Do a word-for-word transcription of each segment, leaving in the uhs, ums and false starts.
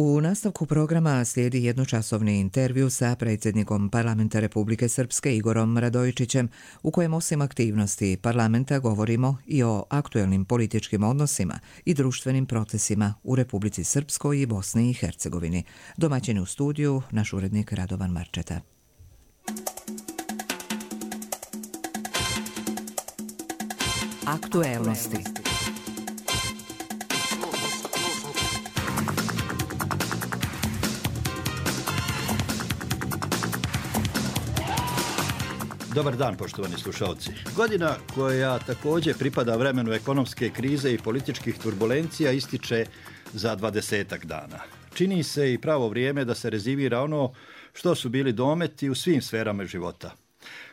U nastavku programa slijedi jednočasovni intervju sa predsjednikom Parlamenta Republike Srpske Igorom Radojičićem, u kojem osim aktivnosti parlamenta govorimo i o aktuelnim političkim odnosima i društvenim procesima u Republici Srpskoj i Bosni i Hercegovini. Domaćin u studiju, naš urednik Radovan Marčeta. Aktuelnosti. Dobar dan, poštovani slušalci. Godina koja također pripada vremenu ekonomske krize i političkih turbulencija ističe za dvadesetak dana. Čini se i pravo vrijeme da se rezimira ono što su bili dometi u svim sferama života.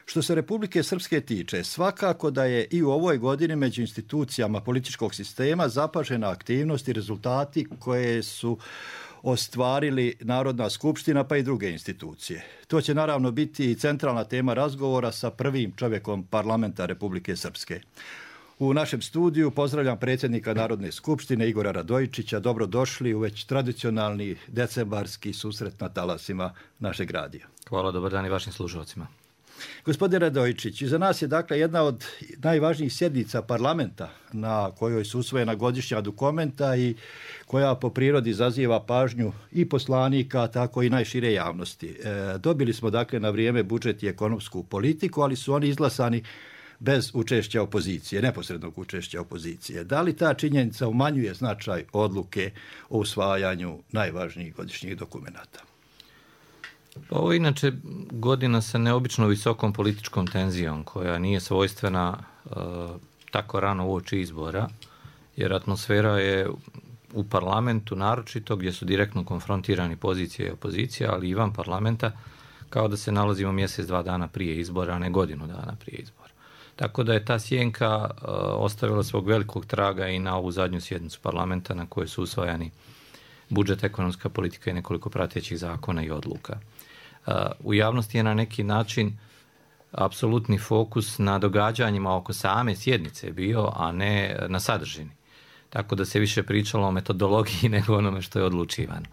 Što se Republike Srpske tiče, svakako da je i u ovoj godini među institucijama političkog sistema zapažena aktivnost i rezultati koje su ostvarili Narodna skupština pa i druge institucije. To će naravno biti i centralna tema razgovora sa prvim čovjekom parlamenta Republike Srpske. U našem studiju pozdravljam predsjednika Narodne skupštine Igora Radojičića. Dobrodošli u već tradicionalni decembarski susret na talasima našeg radija. Hvala, dobar dan i vašim slušalcima. Gospodin Radojičić, za nas je dakle jedna od najvažnijih sjednica parlamenta na kojoj su usvojena godišnja dokumenta i koja po prirodi izaziva pažnju i poslanika, tako i najšire javnosti. E, dobili smo dakle na vrijeme budžet i ekonomsku politiku, ali su oni izglasani bez učešća opozicije, neposrednog učešća opozicije. Da li ta činjenica umanjuje značaj odluke o usvajanju najvažnijih godišnjih dokumenata? Ovo je inače godina sa neobično visokom političkom tenzijom koja nije svojstvena e, tako rano uoči izbora, jer atmosfera je u parlamentu naročito gdje su direktno konfrontirani pozicija i opozicija, ali i van parlamenta, kao da se nalazimo mjesec, dva dana prije izbora, a ne godinu dana prije izbora. Tako da je ta sjenka e, ostavila svog velikog traga i na ovu zadnju sjednicu parlamenta na kojoj su usvajani budžet, ekonomska politika i nekoliko pratećih zakona i odluka. U javnosti je na neki način apsolutni fokus na događanjima oko same sjednice bio, a ne na sadržini. Tako da se više pričalo o metodologiji nego onome što je odlučivano.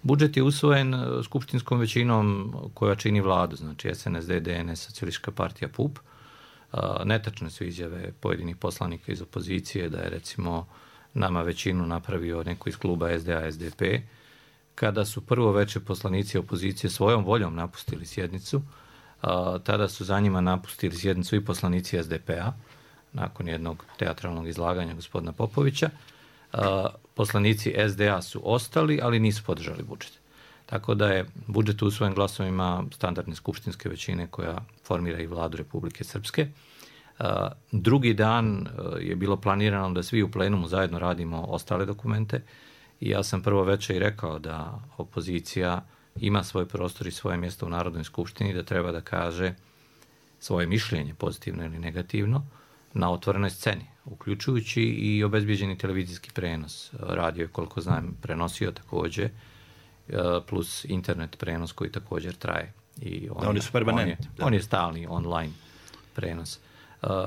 Budžet je usvojen skupštinskom većinom koja čini vladu, znači S N S D, D N S, Socijalistička partija, P U P. Netačne su izjave pojedinih poslanika iz opozicije da je recimo nama većinu napravio neko iz kluba S D A, S D P. Kada su prvo veče poslanici opozicije svojom voljom napustili sjednicu, a, tada su za njima napustili sjednicu i poslanici S D P-a, nakon jednog teatralnog izlaganja gospodina Popovića. A, poslanici S D A su ostali, ali nisu podržali budžet. Tako da je budžet usvojen glasovima standardne skupštinske većine koja formira i vladu Republike Srpske. A, drugi dan je bilo planirano da svi u plenumu zajedno radimo ostale dokumente. I ja sam prvo večer i rekao da opozicija ima svoj prostor i svoje mjesto u Narodnoj skupštini, da treba da kaže svoje mišljenje, pozitivno ili negativno, na otvorenoj sceni, uključujući i obezbijeđeni televizijski prenos. Radio je, koliko znam, prenosio također, plus internet prenos koji također traje. I on, oni su permanentni. On je, on je stalni online prenos.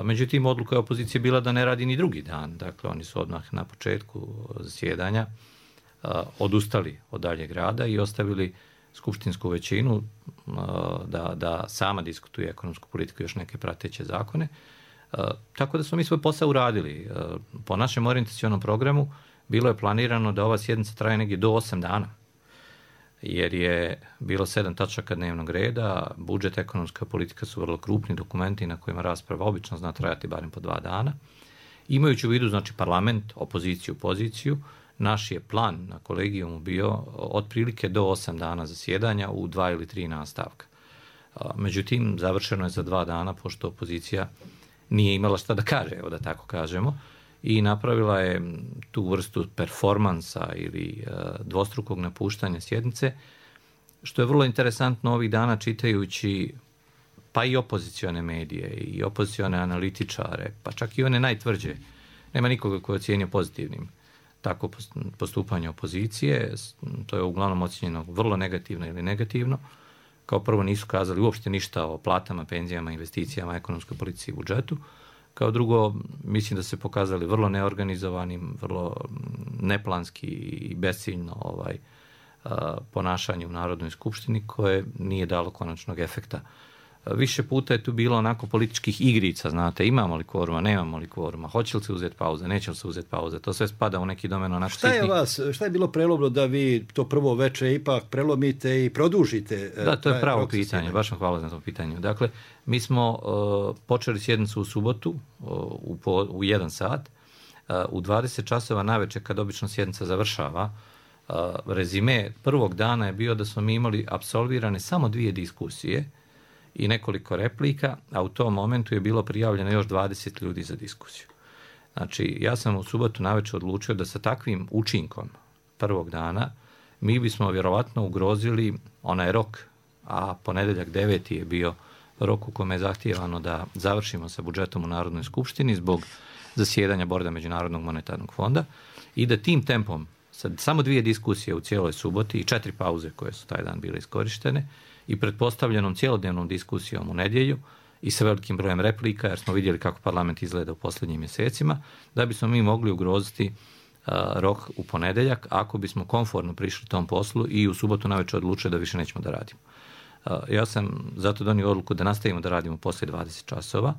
Međutim, odluka je opozicije bila da ne radi ni drugi dan. Dakle, oni su odmah na početku zasjedanja odustali od daljeg rada i ostavili skupštinsku većinu da, da sama diskutuje ekonomsku politiku i još neke prateće zakone. Tako da smo mi svoj posao uradili. Po našem orijentacionom programu bilo je planirano da ova sjednica traje negdje do osam dana, jer je bilo sedam tačaka dnevnog reda. Budžet, ekonomska politika su vrlo krupni dokumenti na kojima rasprava obično zna trajati barem po dva dana. Imajući u vidu, znači, parlament, opoziciju, poziciju, naš je plan na kolegijumu bio otprilike do osam dana zasjedanja u dva ili tri nastavka. Međutim, završeno je za dva dana, pošto opozicija nije imala šta da kaže, evo da tako kažemo, i napravila je tu vrstu performansa ili dvostrukog napuštanja sjednice, što je vrlo interesantno ovih dana čitajući pa i opozicione medije i opozicione analitičare, pa čak i one najtvrđe. Nema nikoga koji je ocijenio pozitivnim tako postupanje opozicije. To je uglavnom ocijenjeno vrlo negativno ili negativno. Kao prvo nisu kazali uopšte ništa o platama, penzijama, investicijama, ekonomskoj politici i budžetu. Kao drugo, mislim da se pokazali vrlo neorganizovanim, vrlo neplanski i besciljno ovaj, ponašanje u Narodnoj skupštini koje nije dalo konačnog efekta. Više puta je tu bilo onako političkih igrica, znate, imamo li kvoruma, nemamo li kvoruma, hoće li se uzeti pauza, neće li se uzeti pauza, to sve spada u neki domen onako šta je sitni. vas, šta je bilo prelomno da vi to prvo veče ipak prelomite i produžite? Da, to je pravo pitanje, baš vam hvala za to pitanju. Dakle, mi smo uh, počeli sjednicu u subotu uh, u, po, u jedan sat, uh, u dvadeset časova navečer kad obično sjednica završava, uh, rezime prvog dana je bio da smo mi imali apsolvirane samo dvije diskusije i nekoliko replika, a u tom momentu je bilo prijavljeno još dvadeset ljudi za diskusiju. Znači, ja sam u subotu navečer odlučio da sa takvim učinkom prvog dana mi bismo vjerovatno ugrozili onaj rok, a ponedeljak deveti je bio rok u kome je zahtijevano da završimo sa budžetom u Narodnoj skupštini zbog zasjedanja borda Međunarodnog monetarnog fonda i da tim tempom, sad samo dvije diskusije u cijeloj suboti i četiri pauze koje su taj dan bile iskorištene, i pretpostavljenom cijelodnevnom diskusijom u nedjelju i sa velikim brojem replika, jer smo vidjeli kako parlament izgleda u posljednjim mjesecima, da bismo mi mogli ugroziti uh, rok u ponedeljak ako bismo komfortno prišli tom poslu i u subotu navečer odlučili da više nećemo da radimo. Uh, ja sam zato donio odluku da nastavimo da radimo poslije dvadeset časova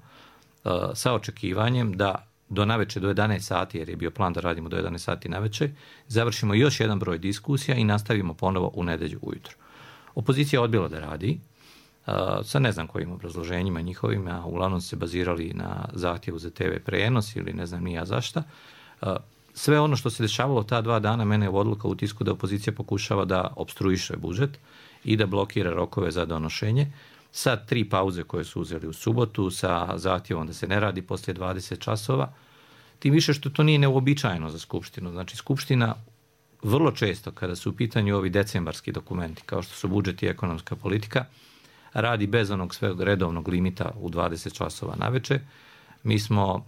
uh, sa očekivanjem da do navečer do jedanaest sati, jer je bio plan da radimo do jedanaest sati navečer, završimo još jedan broj diskusija i nastavimo ponovo u nedjelju ujutro. Opozicija je odbila da radi, uh, sa ne znam kojim obrazloženjima njihovim, a uglavnom se bazirali na zahtjevu za te ve prenos ili ne znam ni ja zašta. Uh, sve ono što se dešavalo ta dva dana, mene je odluka u tisku da opozicija pokušava da opstruiše budžet i da blokira rokove za donošenje. Sa tri pauze koje su uzeli u subotu, sa zahtjevom da se ne radi poslije dvadeset časova, tim više što to nije neuobičajeno za Skupštinu. Znači, Skupština vrlo često, kada su u pitanju ovi decembarski dokumenti, kao što su budžet i ekonomska politika, radi bez onog sveg redovnog limita u dvadeset časova navečer. Mi smo uh,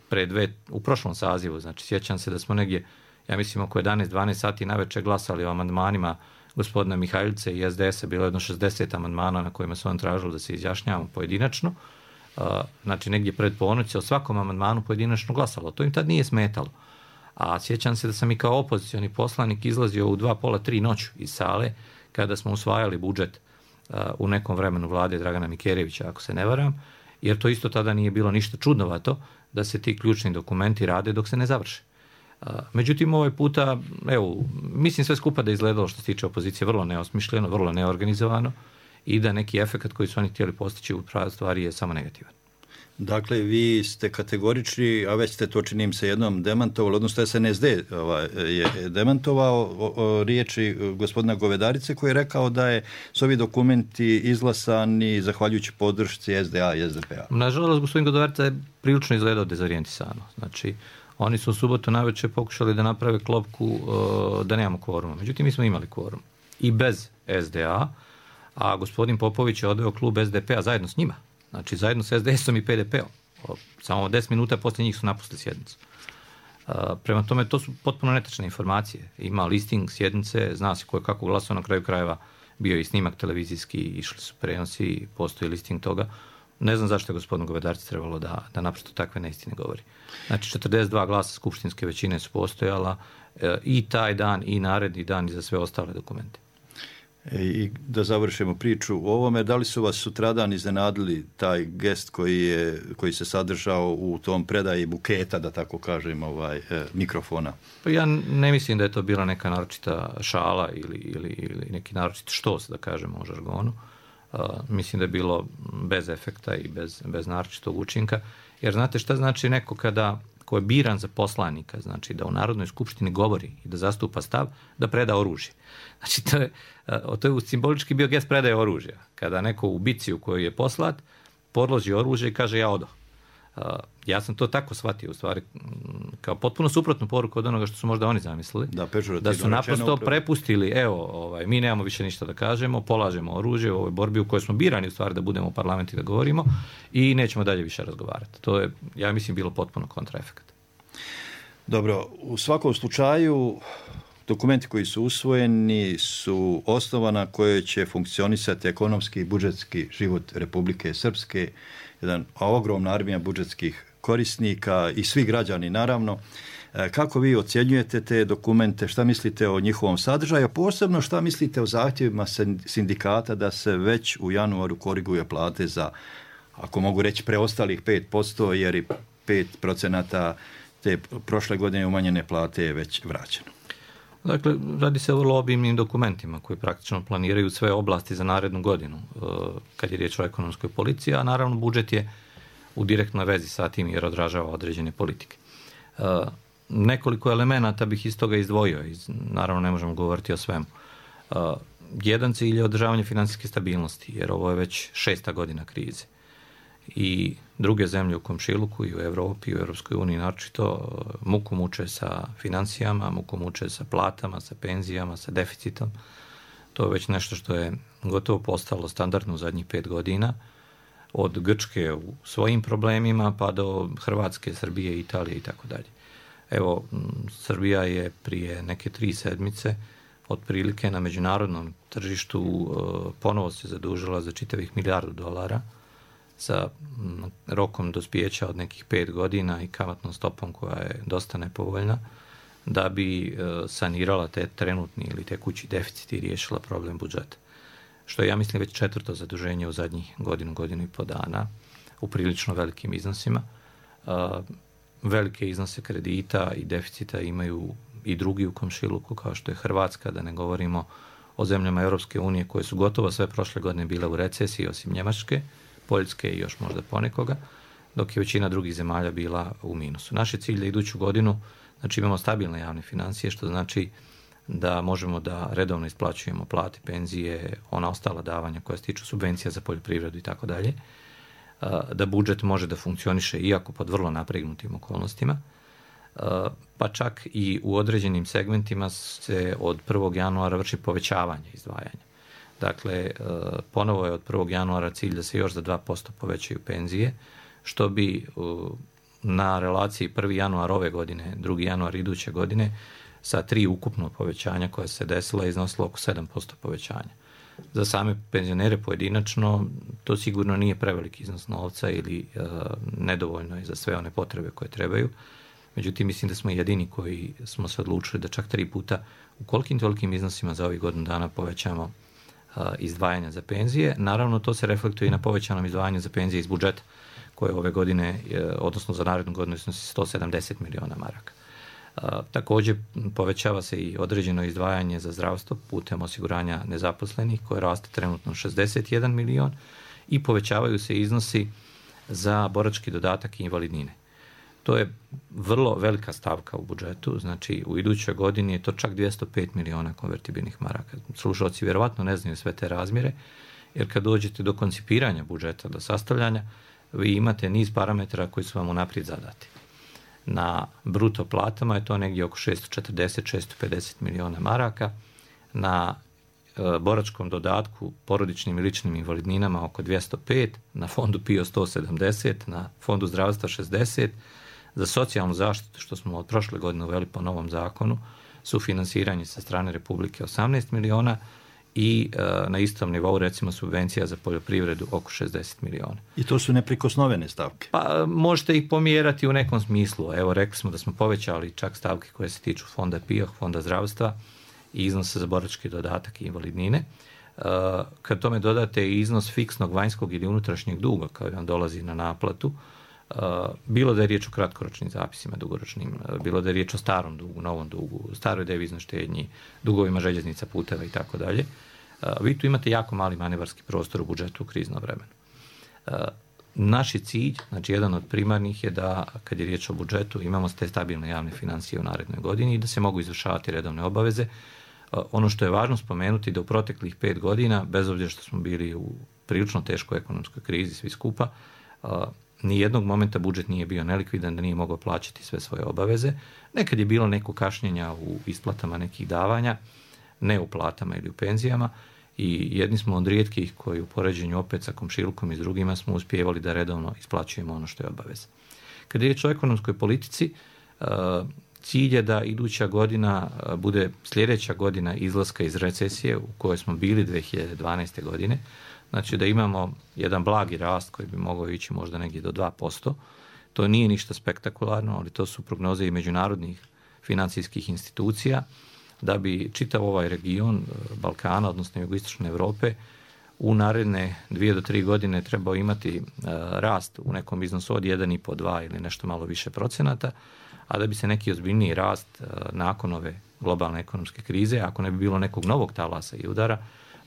pre dve, u prošlom sazivu, znači sjećam se da smo negdje, ja mislim oko jedanaest dvanaest sati navečer glasali o amandmanima gospodina Mihajlice i es de esa, bilo jedno šezdeset amandmana na kojima su on tražili da se izjašnjavamo pojedinačno. Uh, znači negdje pred ponoć se o svakom amandmanu pojedinačno glasalo. To im tad nije smetalo. A sjećam se da sam i kao opozicioni poslanik izlazio u dva pola tri noću iz sale kada smo usvajali budžet uh, u nekom vremenu vlade Dragana Mikerjevića, ako se ne varam, jer to isto tada nije bilo ništa čudnovato da se ti ključni dokumenti rade dok se ne završe. Uh, međutim, ovaj puta, evo, mislim sve skupa da je izgledalo što se tiče opozicije vrlo neosmišljeno, vrlo neorganizovano i da neki efekt koji su oni htjeli postići u pravi stvari je samo negativan. Dakle, vi ste kategorični, a već ste to činim se jednom demantovali, odnosno es en es de ovaj, je demantovao o, o riječi gospodina Govedarice koji je rekao da je su ovi dokumenti izglasani zahvaljujući podršci es de a i es de pe a. Nažalost, gospodin Govedarica je prilično izgledao dezorijentisano. Znači, oni su u subotu navečer pokušali da naprave klopku uh, da nemamo kvoruma. Međutim, mi smo imali kvorum i bez es de a, a gospodin Popović je odveo klub es de pe a zajedno s njima. Znači, zajedno s es de esom i pe de pe om. Samo deset minuta poslije njih su napustili sjednicu. Uh, prema tome, to su potpuno netačne informacije. Ima listing sjednice, zna se ko je kako glasao, na kraju krajeva bio i snimak televizijski, išli su prenosi, postoji listing toga. Ne znam zašto je gospodinu Govedarci trebalo da, da naprosto takve neistine govori. Znači, četrdeset dva glasa skupštinske većine su postojala uh, i taj dan, i naredni dan, i za sve ostale dokumente. I da završimo priču o ovome, da li su vas sutradan iznenadili taj gest koji, je, koji se sadržao u tom predaji buketa, da tako kažem, ovaj, eh, mikrofona? Pa ja ne mislim da je to bila neka naročita šala ili, ili, ili neki naročit štos, da kažemo u žargonu. Uh, mislim da je bilo bez efekta i bez, bez naročitog učinka. Jer znate šta znači neko kada ko je biran za poslanika, znači da u Narodnoj skupštini govori i da zastupa stav, da preda oružje. Znači, to je, to je simbolički bio gest predaje oružja. Kada neko u bici u kojoj je poslat, podloži oružje i kaže ja odo. Ja sam to tako shvatio, u stvari, kao potpuno suprotnu poruku od onoga što su možda oni zamislili. Da, da su naprosto prepustili, evo, ovaj, mi nemamo više ništa da kažemo, polažemo oružje u ovoj borbi u kojoj smo birani, u stvari, da budemo u parlamentu i da govorimo i nećemo dalje više razgovarati. To je, ja mislim, bilo potpuno kontraefekt. Dobro, u svakom slučaju dokumenti koji su usvojeni su osnova na kojoj će funkcionisati ekonomski i budžetski život Republike Srpske, jedan ogromna armija budžetskih korisnika i svi građani naravno. Kako vi ocjenjujete te dokumente, šta mislite o njihovom sadržaju, posebno šta mislite o zahtjevima sindikata da se već u januaru koriguje plate za, ako mogu reći, preostalih pet posto, jer i pet procenata te prošle godine umanjene plate je već vraćeno? Dakle, radi se o vrlo obimnim dokumentima koji praktično planiraju sve oblasti za narednu godinu kad je riječ o ekonomskoj politici, a naravno budžet je u direktnoj vezi sa tim jer odražava određene politike. Nekoliko elemenata bih iz toga izdvojio, naravno ne možemo govoriti o svemu. Jedan cilj je održavanje financijske stabilnosti, jer ovo je već šesta godina krize. I druge zemlje u komšiluku i u Europi i u Europskoj uniji naročito muku muče sa financijama, muku muče sa platama, sa penzijama, sa deficitom. To je već nešto što je gotovo postalo standardno u zadnjih pet godina. Od Grčke u svojim problemima pa do Hrvatske, Srbije, Italije i tako dalje. Evo, Srbija je prije neke tri sedmice otprilike na međunarodnom tržištu ponovo se zadužila za čitavih milijardu dolara sa rokom dospijeća od nekih pet godina i kamatnom stopom koja je dosta nepovoljna, da bi sanirala te trenutni ili tekući deficit i riješila problem budžeta. Što je, ja mislim, već četvrto zaduženje u zadnjih godinu, godinu i po dana, u prilično velikim iznosima. Velike iznose kredita i deficita imaju i drugi u komšiluku, kao što je Hrvatska, da ne govorimo o zemljama Europske unije koje su gotovo sve prošle godine bile u recesiji, osim Njemačke, Poljske i još možda ponekoga, dok je većina drugih zemalja bila u minusu. Naš je cilj da iduću godinu, znači imamo stabilne javne financije, što znači da možemo da redovno isplaćujemo plate, penzije, ona ostala davanja koja se tiču subvencija za poljoprivredu i tako dalje, da budžet može da funkcioniše iako pod vrlo napregnutim okolnostima, pa čak i u određenim segmentima se od prvog januara vrši povećavanje izdvajanja. Dakle, ponovo je od prvog januara cilj da se još za dva posto povećaju penzije, što bi na relaciji prvi januar ove godine, drugi januar iduće godine, sa tri ukupno povećanja koja se desila iznosilo oko sedam posto povećanja. Za same penzionere pojedinačno to sigurno nije preveliki iznos novca ili e, nedovoljno je za sve one potrebe koje trebaju. Međutim, mislim da smo jedini koji smo se odlučili da čak tri puta u kolikim tolikim iznosima za ovih godinu dana povećamo e, izdvajanja za penzije. Naravno, to se reflektuje i na povećanom izdvajanju za penzije iz budžeta, koje ove godine, e, odnosno za narednu godinu, iznosi sto sedamdeset miliona maraka. A, također povećava se i određeno izdvajanje za zdravstvo putem osiguranja nezaposlenih koje raste trenutno šezdeset jedan milion i povećavaju se iznosi za borački dodatak i invalidnine. To je vrlo velika stavka u budžetu, znači u idućoj godini je to čak dvjesto pet miliona konvertibilnih maraka. Slušalci vjerovatno ne znaju sve te razmjere, jer kad dođete do koncipiranja budžeta, do sastavljanja, vi imate niz parametara koji su vam unaprijed zadati. Na bruto platama je to negdje oko šesto četrdeset do šesto pedeset miliona maraka, na e, boračkom dodatku, porodičnim i ličnim invalidninama oko dvjesto pet, na fondu P I O sto sedamdeset, na fondu zdravstva šezdeset, za socijalnu zaštitu, što smo od prošle godine uveli po novom zakonu, sufinansiranje sa strane Republike osamnaest miliona i e, na istom nivou recimo subvencija za poljoprivredu oko šezdeset miliona. I to su neprikosnovene stavke? Pa možete ih pomjerati u nekom smislu. Evo, rekli smo da smo povećali čak stavke koje se tiču fonda P I O, fonda zdravstva i iznose za borački dodatak i invalidnine. E, kad tome dodate i iznos fiksnog vanjskog ili unutrašnjeg duga koji vam dolazi na naplatu, e, bilo da je riječ o kratkoročnim zapisima, dugoročnim, bilo da je riječ o starom dugu, novom dugu, staroj deviznoj štednji, dugovima željeznica, puteva i tako dalje, vi tu imate jako mali manevarski prostor u budžetu u krizno vremenu. Naš je cilj, znači jedan od primarnih je da kad je riječ o budžetu imamo te stabilne javne financije u narednoj godini i da se mogu izvršavati redovne obaveze. Ono što je važno spomenuti da u proteklih pet godina, bez obzira što smo bili u prilično teškoj ekonomskoj krizi svi skupa, ni jednog momenta budžet nije bio nelikvidan, da nije mogao plaćati sve svoje obaveze. Nekad je bilo neko kašnjenja u isplatama nekih davanja, ne u platama ili u penzijama, i jedni smo od rijetkih koji u poređenju opet sa komšilukom i s drugima smo uspijevali da redovno isplaćujemo ono što je obaveza. Kad je riječ o ekonomskoj politici, cilj je da iduća godina bude sljedeća godina izlaska iz recesije u kojoj smo bili dvije hiljade dvanaeste. godine, znači da imamo jedan blagi rast koji bi mogao ići možda negdje do dva posto, To nije ništa spektakularno, ali to su prognoze i međunarodnih financijskih institucija da bi čitav ovaj region Balkana, odnosno jugoistočne Europe, u naredne dvije do tri godine trebao imati uh, rast u nekom iznosu od jedan i po dva ili nešto malo više procenata, a da bi se neki ozbiljniji rast uh, nakon ove globalne ekonomske krize, ako ne bi bilo nekog novog talasa i udara,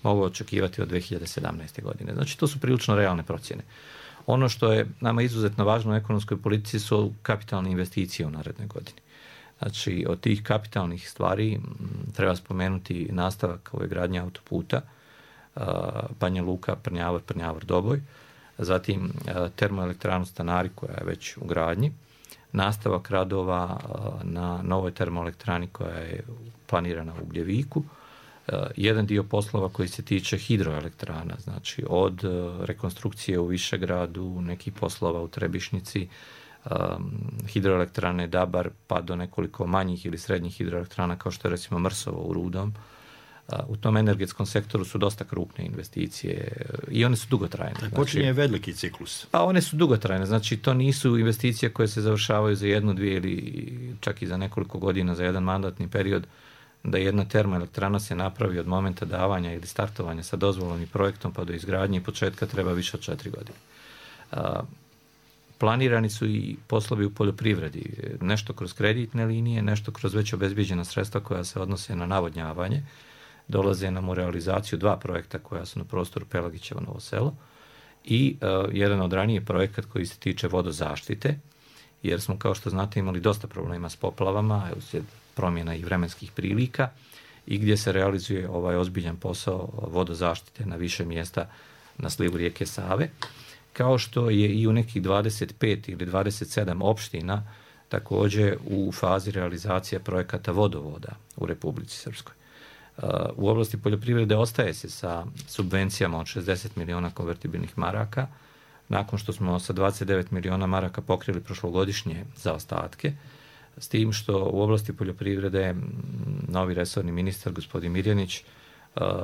mogao očekivati od dvije hiljade sedamnaeste. godine. Znači, to su prilično realne procjene. Ono što je nama izuzetno važno u ekonomskoj politici su kapitalne investicije u narednoj godini. Znači, od tih kapitalnih stvari m, treba spomenuti nastavak ove gradnje autoputa, Banja Luka, Prnjavor, Prnjavor, Doboj, zatim termoelektranu Stanari koja je već u gradnji, nastavak radova na novoj termoelektrani koja je planirana u Ugljeviku, jedan dio poslova koji se tiče hidroelektrana, znači od rekonstrukcije u Višegradu, nekih poslova u Trebišnici, hidroelektrane Dabar, pa do nekoliko manjih ili srednjih hidroelektrana kao što je recimo Mrsovo u Rudom. U tom energetskom sektoru su dosta krupne investicije i one su dugotrajne. Znači, počinje veliki ciklus. Pa one su dugotrajne, znači to nisu investicije koje se završavaju za jednu, dvije ili čak i za nekoliko godina, za jedan mandatni period, da jedna termoelektrana se napravi od momenta davanja ili startovanja sa dozvolom i projektom pa do izgradnje i početka treba više od četiri godine. A, planirani su i poslovi u poljoprivredi, nešto kroz kreditne linije, nešto kroz već obezbijeđena sredstva koja se odnose na navodnjavanje. Dolaze nam u realizaciju dva projekta koja su na prostoru Pelagićevo Novo Selo i uh, jedan od ranije projekat koji se tiče vodozaštite, jer smo, kao što znate, imali dosta problema s poplavama, uslijed promjena i vremenskih prilika i gdje se realizuje ovaj ozbiljan posao vodozaštite na više mjesta na slivu rijeke Save, kao što je i u nekih dvadeset pet ili dvadeset sedam opština također u fazi realizacije projekata vodovoda u Republici Srpskoj. U oblasti poljoprivrede ostaje se sa subvencijama od šezdeset miliona konvertibilnih maraka, nakon što smo sa dvadeset devet miliona maraka pokrili prošlogodišnje zaostatke, s tim što u oblasti poljoprivrede novi resorni ministar, gospodin Mirjanić,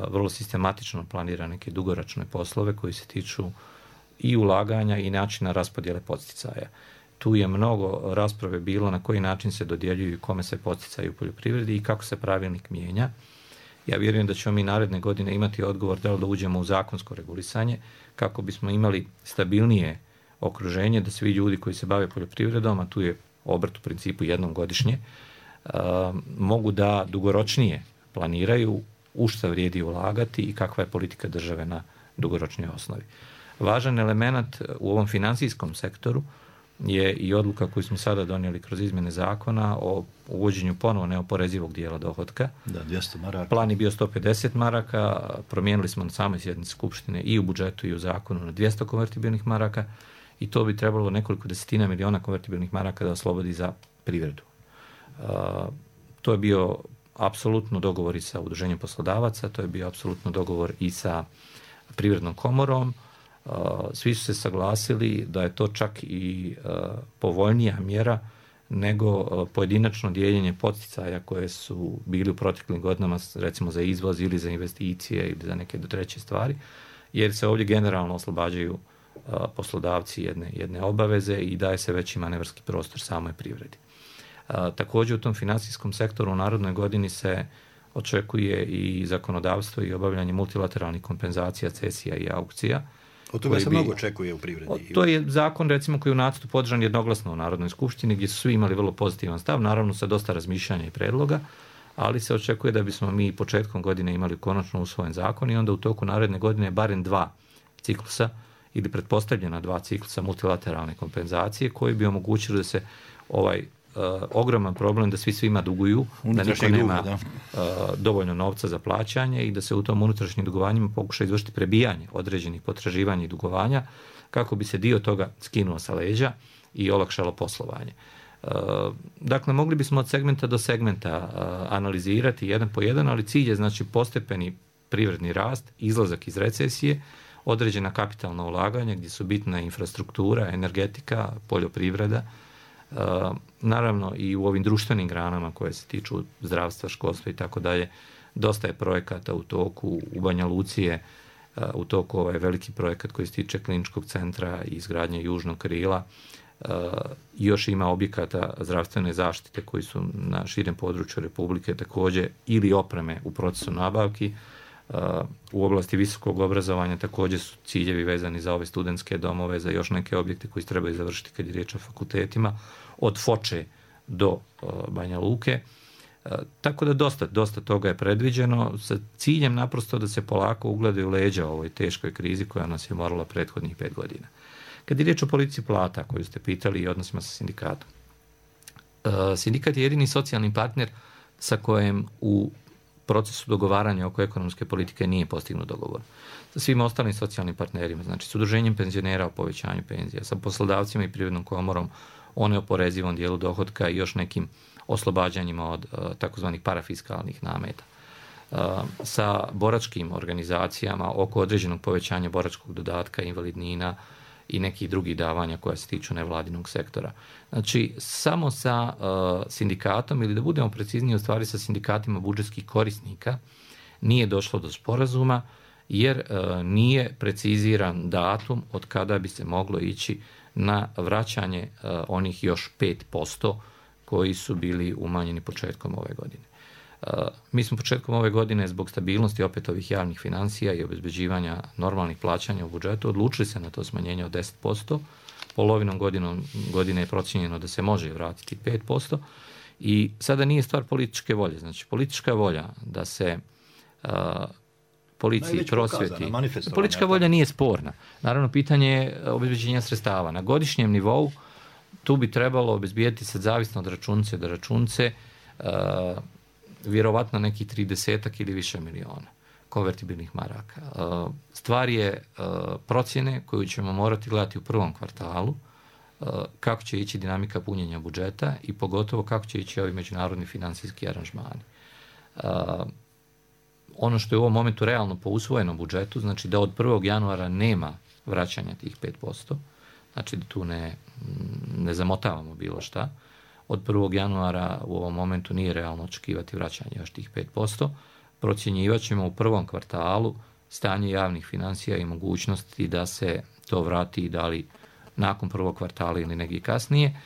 vrlo sistematično planira neke dugoročne poslove koji se tiču i ulaganja i načina raspodjele podsticaja. Tu je mnogo rasprave bilo na koji način se dodjeljuju i kome se podsticaju u poljoprivredi i kako se pravilnik mijenja. Ja vjerujem da ćemo mi naredne godine imati odgovor da li da uđemo u zakonsko regulisanje kako bismo imali stabilnije okruženje, da svi ljudi koji se bave poljoprivredom, a tu je obrt u principu jednom godišnje, mogu da dugoročnije planiraju u šta vrijedi ulagati i kakva je politika države na dugoročnoj osnovi. Važan element u ovom financijskom sektoru je i odluka koju smo sada donijeli kroz izmjene zakona o uvođenju ponovo neoporezivog dijela dohotka. Da, dvjesto maraka. Plan je bio sto pedeset maraka, promijenili smo na samoj sjednici Skupštine i u budžetu i u zakonu na dvjesto konvertibilnih maraka i to bi trebalo nekoliko desetina miliona konvertibilnih maraka da oslobodi za privredu. Uh, to je bio apsolutno dogovor i sa udruženjem poslodavaca, to je bio apsolutno dogovor i sa privrednom komorom. Uh, svi su se saglasili da je to čak i uh, povoljnija mjera nego uh, pojedinačno dijeljenje podsticaja koje su bili u proteklim godinama, recimo za izvoz ili za investicije ili za neke treće stvari, jer se ovdje generalno oslobađaju uh, poslodavci jedne, jedne obaveze i daje se veći manevarski prostor samoj privredi. Uh, također u tom financijskom sektoru u narodnoj godini se očekuje i zakonodavstvo i obavljanje multilateralnih kompenzacija, cesija i aukcija. Od toga se bi, mnogo očekuje u privredi. O, to je zakon, recimo, koji je u nacrtu podržan jednoglasno u Narodnoj skupštini, gdje su svi imali vrlo pozitivan stav, naravno sa dosta razmišljanja i predloga, ali se očekuje da bismo mi početkom godine imali konačno usvojen zakon i onda u toku naredne godine barem dva ciklusa ili pretpostavljena dva ciklusa multilateralne kompenzacije koji bi omogućili da se ovaj Uh, ogroman problem da svi svima duguju, da niko nema da. Uh, dovoljno novca za plaćanje i da se u tom unutrašnjim dugovanjima pokuša izvršiti prebijanje određenih potraživanja i dugovanja kako bi se dio toga skinuo sa leđa i olakšalo poslovanje. Uh, dakle, mogli bismo od segmenta do segmenta uh, analizirati jedan po jedan, ali cilj je znači postepeni privredni rast, izlazak iz recesije, određena kapitalna ulaganja gdje su bitna infrastruktura, energetika, poljoprivreda, Uh, naravno i u ovim društvenim granama koje se tiču zdravstva, školstva i tako dalje, dosta je projekata u toku. U Banja Luci je uh, u toku ovaj veliki projekat koji se tiče kliničkog centra i izgradnje južnog krila još ima objekata zdravstvene zaštite koji su na širem području Republike također ili opreme u procesu nabavki. U oblasti visokog obrazovanja također su ciljevi vezani za ove studentske domove, za još neke objekte koji se trebaju završiti kad je riječ o fakultetima, od Foče do Banja Luke. Tako da dosta, dosta toga je predviđeno sa ciljem naprosto da se polako ugledaju leđa u ovoj teškoj krizi koja nas je morala prethodnih pet godina. Kad je riječ o politici plata koju ste pitali i odnosima sa sindikatom. Sindikat je jedini socijalni partner sa kojem u procesu dogovaranja oko ekonomske politike nije postignut dogovor. Sa svim ostalim socijalnim partnerima, znači s udruženjem penzionera o povećanju penzija, sa poslodavcima i Privrednom komorom o neoporezivom dijelu dohotka i još nekim oslobađanjima od uh, takozvanih parafiskalnih nameta. Uh, sa boračkim organizacijama oko određenog povećanja boračkog dodatka, invalidnina i nekih drugih davanja koja se tiču nevladinog sektora. Znači, samo sa uh, sindikatom, ili da budemo precizniji u stvari sa sindikatima budžetskih korisnika, nije došlo do sporazuma, jer uh, nije preciziran datum od kada bi se moglo ići na vraćanje uh, onih još pet posto koji su bili umanjeni početkom ove godine. Uh, mi smo početkom ove godine zbog stabilnosti opet ovih javnih financija i obezbeđivanja normalnih plaćanja u budžetu odlučili se na to smanjenje od deset posto. Polovinom godinom, godine je procijenjeno da se može vratiti pet posto. I sada nije stvar političke volje. Znači, politička volja da se uh, policiji prosvjeti. Politička volja nije sporna. Naravno, pitanje je obezbeđenja sredstava. Na godišnjem nivou tu bi trebalo obezbijeti sad zavisno od računice do računice uh, vjerovatno nekih tridesetak ili više miliona konvertibilnih maraka. Uh, stvar je uh, procjene koju ćemo morati gledati u prvom kvartalu, uh, kako će ići dinamika punjenja budžeta i pogotovo kako će ići ovi međunarodni financijski aranžmani. Uh, ono što je u ovom momentu realno po usvojenom budžetu, znači da od prvog januara nema vraćanja tih pet posto, znači da tu ne, ne zamotavamo bilo šta. Od prvog januara u ovom momentu nije realno očekivati vraćanje još tih pet posto. Procjenjivat ćemo u prvom kvartalu stanje javnih financija i mogućnosti da se to vrati da li nakon prvog kvartala ili negdje kasnije,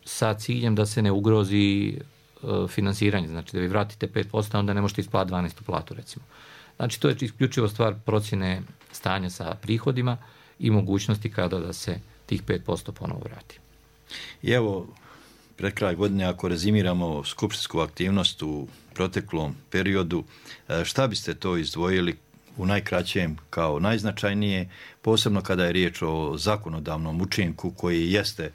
sa ciljem da se ne ugrozi finansiranje. Znači da vi vratite pet posto, onda ne možete isplatiti dvanaestu platu recimo. Znači to je isključivo stvar procjene stanja sa prihodima i mogućnosti kada da se tih pet posto ponovo vrati. I evo, pred kraj godine, ako rezimiramo skupštinsku aktivnost u proteklom periodu, šta biste to izdvojili u najkraćem kao najznačajnije, posebno kada je riječ o zakonodavnom učinku koji jeste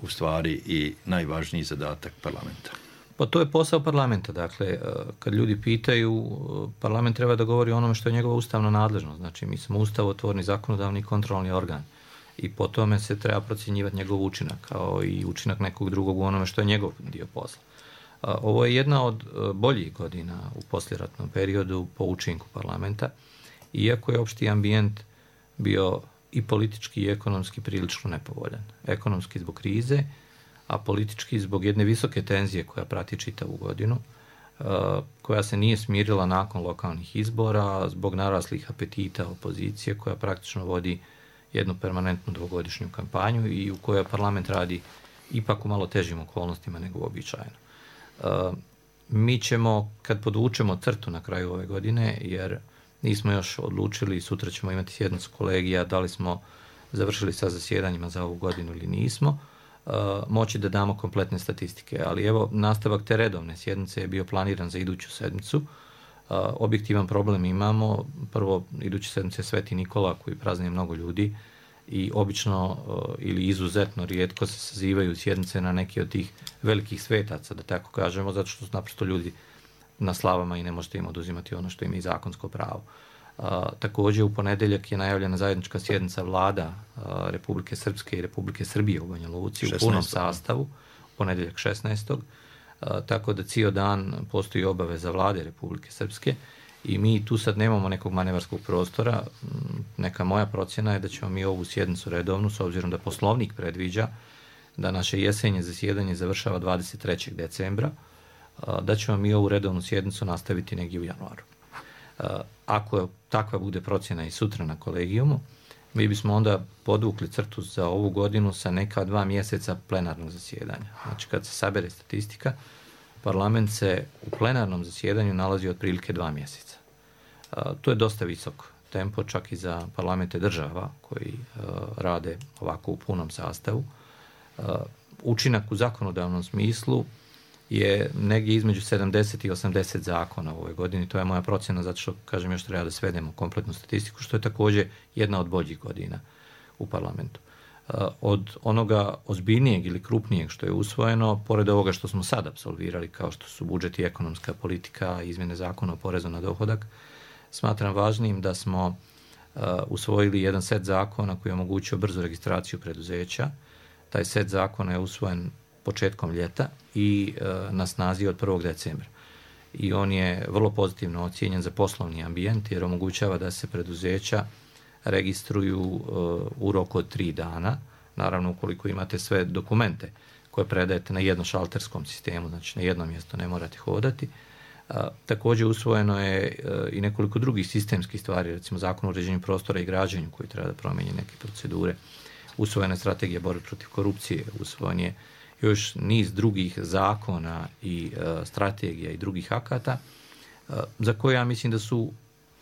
u stvari i najvažniji zadatak parlamenta? Pa to je posao parlamenta. Dakle, kad ljudi pitaju, parlament treba da govori o onome što je njegova ustavna nadležnost. Znači, mi smo ustavotvorni, zakonodavni i kontrolni organ. I po tome se treba procjenjivati njegov učinak, kao i učinak nekog drugog u onome što je njegov dio posla. Ovo je jedna od boljih godina u poslijeratnom periodu po učinku parlamenta, iako je opšti ambijent bio i politički i ekonomski prilično nepovoljan. Ekonomski zbog krize, a politički zbog jedne visoke tenzije koja prati čitavu godinu, koja se nije smirila nakon lokalnih izbora, zbog naraslih apetita opozicije koja praktično vodi jednu permanentnu dvogodišnju kampanju i u kojoj parlament radi ipak u malo težim okolnostima nego uobičajeno. Mi ćemo, kad podvučemo crtu na kraju ove godine, jer nismo još odlučili, sutra ćemo imati sjednicu kolegija, da li smo završili sa zasjedanjima za ovu godinu ili nismo, moći da damo kompletne statistike. Ali evo, nastavak te redovne sjednice je bio planiran za iduću sedmicu. Objektivan problem imamo. Prvo, iduće sedmice Sveti Nikola koji praznuje mnogo ljudi i obično ili izuzetno rijetko se sazivaju sjednice na neki od tih velikih svetaca, da tako kažemo, zato što su naprosto ljudi na slavama i ne možete im oduzimati ono što ima i zakonsko pravo. A, također u ponedjeljak je najavljena zajednička sjednica vlada a, Republike Srpske i Republike Srbije u Banja Luci u punom sastavu, u ponedjeljak šesnaestog A, tako da cijel dan postoji obaveza vlade Republike Srpske i mi tu sad nemamo nekog manevarskog prostora. Neka moja procjena je da ćemo mi ovu sjednicu redovnu, s obzirom da Poslovnik predviđa da naše jesenje zasjedanje završava dvadeset trećeg decembra, a, da ćemo mi ovu redovnu sjednicu nastaviti negdje u januaru. Ako takva bude procjena i sutra na kolegijumu, mi bismo onda podvukli crtu za ovu godinu sa neka dva mjeseca plenarnog zasjedanja. Znači kad se sabere statistika, parlament se u plenarnom zasjedanju nalazi otprilike dva mjeseca. To je dosta visok tempo čak i za parlamente država koji rade ovako u punom sastavu. Učinak u zakonodavnom smislu je negdje između sedamdeset i osamdeset zakona u ovoj godini. To je moja procjena, zato što, kažem, još treba da svedemo kompletnu statistiku, što je također jedna od boljih godina u parlamentu. Od onoga ozbiljnijeg ili krupnijeg što je usvojeno, pored ovoga što smo sad apsolvirali, kao što su budžet i ekonomska politika, izmjene zakona o porezu na dohodak, smatram važnim da smo usvojili jedan set zakona koji je omogućio brzu registraciju preduzeća. Taj set zakona je usvojen početkom ljeta i e, na snazi od prvog decembra. I on je vrlo pozitivno ocijenjen za poslovni ambijent jer omogućava da se preduzeća registruju e, u roku od tri dana. Naravno, ukoliko imate sve dokumente koje predajete na jednošalterskom sistemu, znači na jedno mjesto ne morate hodati. E, također usvojeno je e, i nekoliko drugih sistemskih stvari, recimo Zakon o uređenju prostora i građenju koji treba da promijeni neke procedure. Usvojena je strategija borbe protiv korupcije, usvojen je još niz drugih zakona i e, strategija i drugih akata e, za koje ja mislim da su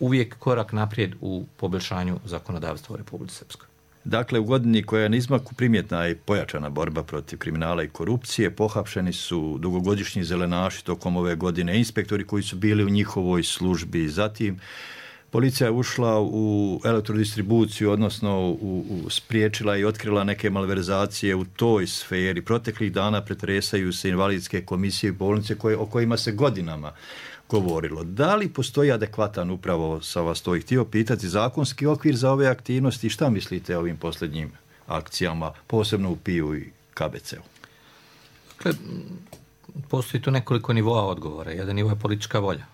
uvijek korak naprijed u poboljšanju zakonodavstva u Republici Srpskoj. Dakle, u godini koja je na izmaku primjetna i pojačana borba protiv kriminala i korupcije, pohapšeni su dugogodišnji zelenaši tokom ove godine, inspektori koji su bili u njihovoj službi. Zatim, policija je ušla u elektrodistribuciju, odnosno u, u, spriječila i otkrila neke malverzacije u toj sferi. Proteklih dana pretresaju se invalidske komisije i bolnice koje, o kojima se godinama govorilo. Da li postoji adekvatan, upravo sa vas to i htio pitati, zakonski okvir za ove aktivnosti i šta mislite o ovim posljednjim akcijama, posebno u P I U i K B C-u? Dakle, postoji tu nekoliko nivoa odgovora. Jedan nivo je politička volja.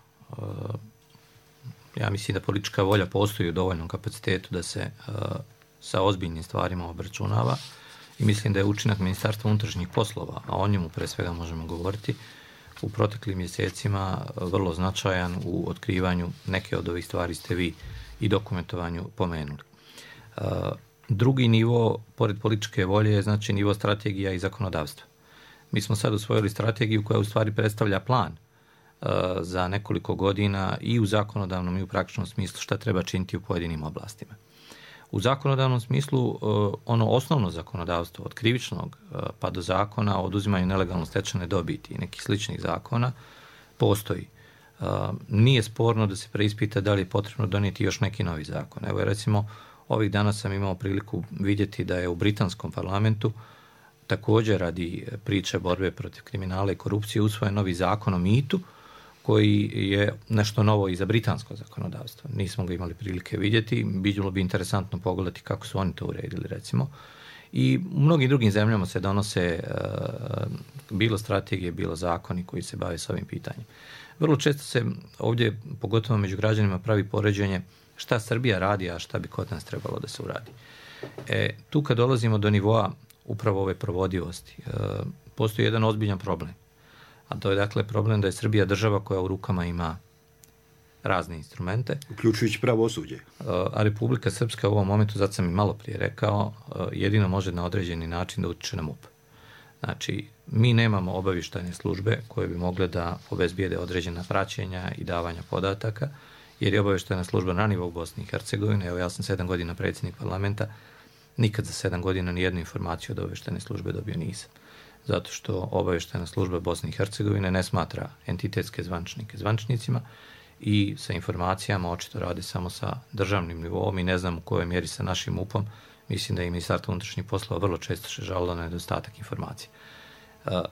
Ja mislim da politička volja postoji u dovoljnom kapacitetu da se uh, sa ozbiljnim stvarima obračunava i mislim da je učinak Ministarstva unutrašnjih poslova, a o njemu pre svega možemo govoriti, u proteklim mjesecima vrlo značajan u otkrivanju neke od ovih stvari ste vi i dokumentovanju pomenuli. Uh, drugi nivo, pored političke volje, je znači nivo strategija i zakonodavstva. Mi smo sad usvojili strategiju koja u stvari predstavlja plan za nekoliko godina i u zakonodavnom i u praktičnom smislu šta treba činiti u pojedinim oblastima. U zakonodavnom smislu ono osnovno zakonodavstvo od krivičnog pa do zakona o oduzimanju nelegalno stečene dobiti i nekih sličnih zakona postoji. Nije sporno da se preispita da li je potrebno donijeti još neki novi zakon. Evo recimo ovih dana sam imao priliku vidjeti da je u britanskom parlamentu također radi priče borbe protiv kriminala i korupcije usvojen novi zakon o mitu koji je nešto novo i za britansko zakonodavstvo. Nismo ga imali prilike vidjeti, bilo bi interesantno pogledati kako su oni to uredili, recimo. I u mnogim drugim zemljama se donose uh, bilo strategije, bilo zakoni koji se bave s ovim pitanjem. Vrlo često se ovdje, pogotovo među građanima, pravi poređenje šta Srbija radi, a šta bi kod nas trebalo da se uradi. E, tu kad dolazimo do nivoa upravo ove provodivosti, uh, postoji jedan ozbiljan problem. A to je dakle problem da je Srbija država koja u rukama ima razne instrumente. Uključujući pravosuđe. A Republika Srpska u ovom momentu, zato sam i malo prije rekao, jedino može na određeni način da utiče na M U P. Znači, mi nemamo obavještajne službe koje bi mogle da obezbijede određena praćenja i davanja podataka, jer je obavještajna služba na nivou Bosne i Hercegovine. Evo, ja sam sedam godina predsjednik parlamenta, nikad za sedam godina nijednu informaciju od obavještajne službe dobio nisam. Zato što obavještajna služba Bosne i Hercegovine ne smatra entitetske zvančnike zvančnicima i sa informacijama očito radi samo sa državnim nivom i ne znam u kojoj mjeri sa našim M U P-om. Mislim da je Ministarstvo unutrašnjih poslova vrlo često se žalilo na nedostatak informacija.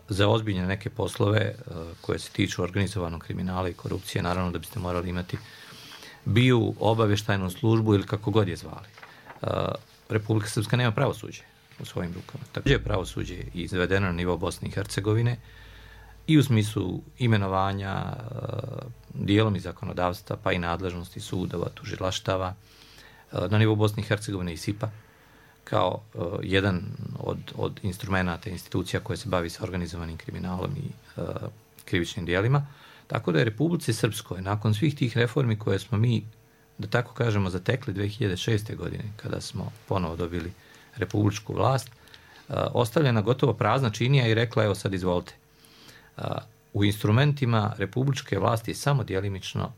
Za ozbiljne neke poslove koje se tiču organizovanog kriminala i korupcije, naravno da biste morali imati B I U, obavještajnu službu ili kako god je zvali. Republika Srpska nema pravosuđe u svojim rukama. Također je pravosuđe izvedeno na nivo Bosne i Hercegovine i u smislu imenovanja, dijelom i zakonodavstva, pa i nadležnosti sudova, tužilaštava, na nivo Bosne i Hercegovine i S I P-a, kao uh, jedan od, od instrumenata, institucija koje se bavi sa organizovanim kriminalom i uh, krivičnim dijelima. Tako da je Republici Srpskoj, nakon svih tih reformi koje smo mi da tako kažemo, zatekli dvije hiljade šeste. godine, kada smo ponovo dobili republičku vlast, ostavljena gotovo prazna činija i rekla, evo sad izvolite. U instrumentima republičke vlasti je samo djelimično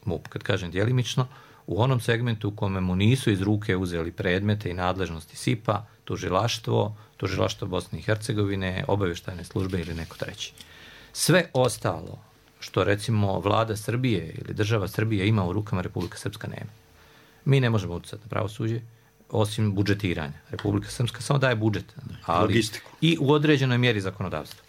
M U P. Kad kažem djelimično, u onom segmentu u kome mu nisu iz ruke uzeli predmete i nadležnosti S I P A, tužilaštvo, tužilaštvo Bosne i Hercegovine, obavještajne službe ili neko treći. Sve ostalo što recimo vlada Srbije ili država Srbije ima u rukama, Republika Srpska nema. Mi ne možemo utjecati na pravosuđe osim budžetiranja. Republika Srpska samo daje budžet, ali logistiku. I u određenoj mjeri zakonodavstvo.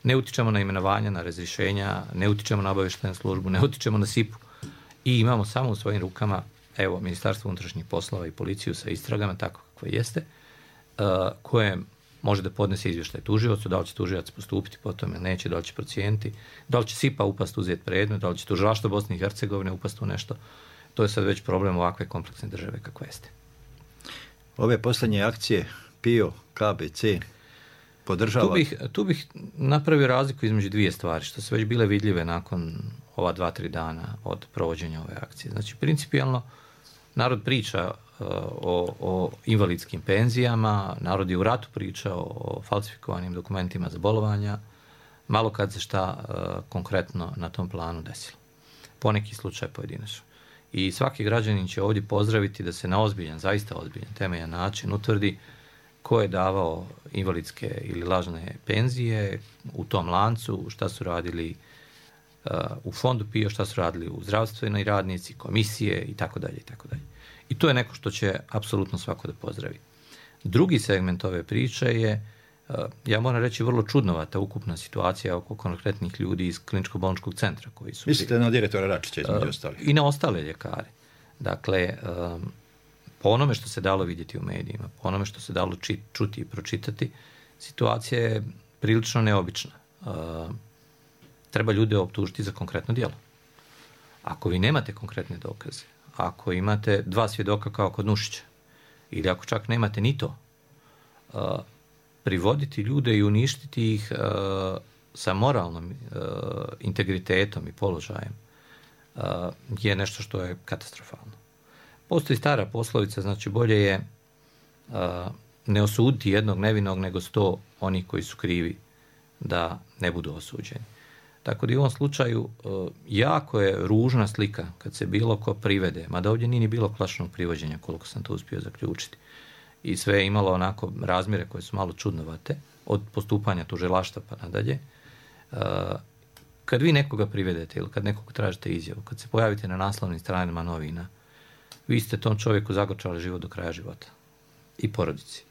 Ne utičemo na imenovanja, na razrješenja, ne utičemo na obavještajnu službu, ne utičemo na S I P U i imamo samo u svojim rukama, evo, Ministarstvo unutrašnjih poslova i policiju sa istragama, tako kako jeste, uh, koje može da podnese izvještaj tužiocu, da li će tužilac postupiti po tome, neće, da li će procijeniti, da li će S I P A upast uzeti predmet, da li će tužilaštvo Bosne i Hercegovine upast u nešto. To je sad već problem ovakve kompleksne države kakva jeste. Ove posljednje akcije P I O, K B C podržava? Tu bih, tu bih napravio razliku između dvije stvari, što su već bile vidljive nakon ova dva, tri dana od provođenja ove akcije. Znači, principijalno, narod priča uh, o, o invalidskim penzijama, narod je u ratu pričao o falsifikovanim dokumentima za bolovanja, malo kad se šta uh, konkretno na tom planu desilo. Poneki slučaj pojedinačno. I svaki građanin će ovdje pozdraviti da se na ozbiljan, zaista ozbiljan, temeljan način utvrdi ko je davao invalidske ili lažne penzije u tom lancu, šta su radili uh, u fondu P I O, šta su radili u zdravstvenoj radnici, komisije i tako dalje i tako dalje. I to je neko što će apsolutno svako da pozdravi. Drugi segment ove priče je, uh, ja moram reći, vrlo čudnovata ukupna situacija oko konkretnih ljudi iz kliničko-bolničkog centra koji su... Mislite na direktora Račića između ostalih? I na ostale ljekare. Dakle, um, po onome što se dalo vidjeti u medijima, po onome što se dalo či, čuti i pročitati, situacija je prilično neobična. Uh, treba ljude optužiti za konkretno djelo. Ako vi nemate konkretne dokaze, ako imate dva svjedoka kao kod Nušića, ili ako čak nemate ni to, uh, privoditi ljude i uništiti ih uh, sa moralnom uh, integritetom i položajem uh, je nešto što je katastrofalno. Postoji stara poslovica, znači bolje je uh, ne osuditi jednog nevinog nego sto onih koji su krivi da ne budu osuđeni. Tako da i u ovom slučaju uh, jako je ružna slika kad se bilo ko privede, mada ovdje nije ni bilo klasičnog privođenja, koliko sam to uspio zaključiti. I sve je imalo onako razmjere koje su malo čudnovate, od postupanja tužilaštva pa nadalje. Uh, kad vi nekoga privedete ili kad nekog tražite izjavu, kad se pojavite na naslovnim stranama novina, vi ste tom čovjeku zagorčali život do kraja života i porodici.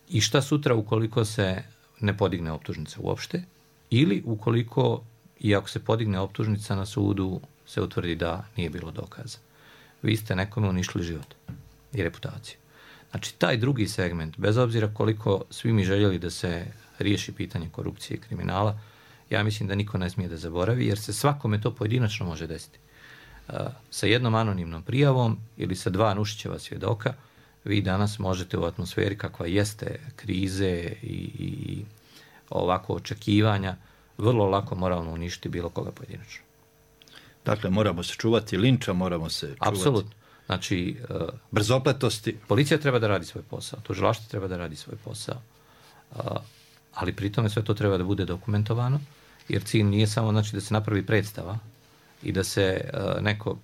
I šta sutra ukoliko se ne podigne optužnica uopšte, ili ukoliko, i ako se podigne optužnica na sudu, se utvrdi da nije bilo dokaza. Vi ste nekome uništili život i reputaciju. Znači, taj drugi segment, bez obzira koliko svi mi željeli da se riješi pitanje korupcije i kriminala, ja mislim da niko ne smije da zaboravi, jer se svakome to pojedinačno može desiti. Uh, sa jednom anonimnom prijavom ili sa dva Nušićeva svjedoka, vi danas možete u atmosferi kakva jeste krize i, i ovako očekivanja, vrlo lako moralno uništiti bilo koga pojedinačno. Dakle, moramo se čuvati linča, moramo se čuvati... Apsolutno. Znači, uh, brzopletosti. Policija treba da radi svoj posao, tužilaštvo treba da radi svoj posao, uh, ali pri tome sve to treba da bude dokumentovano, jer cilj nije samo, znači, da se napravi predstava i da se uh, neko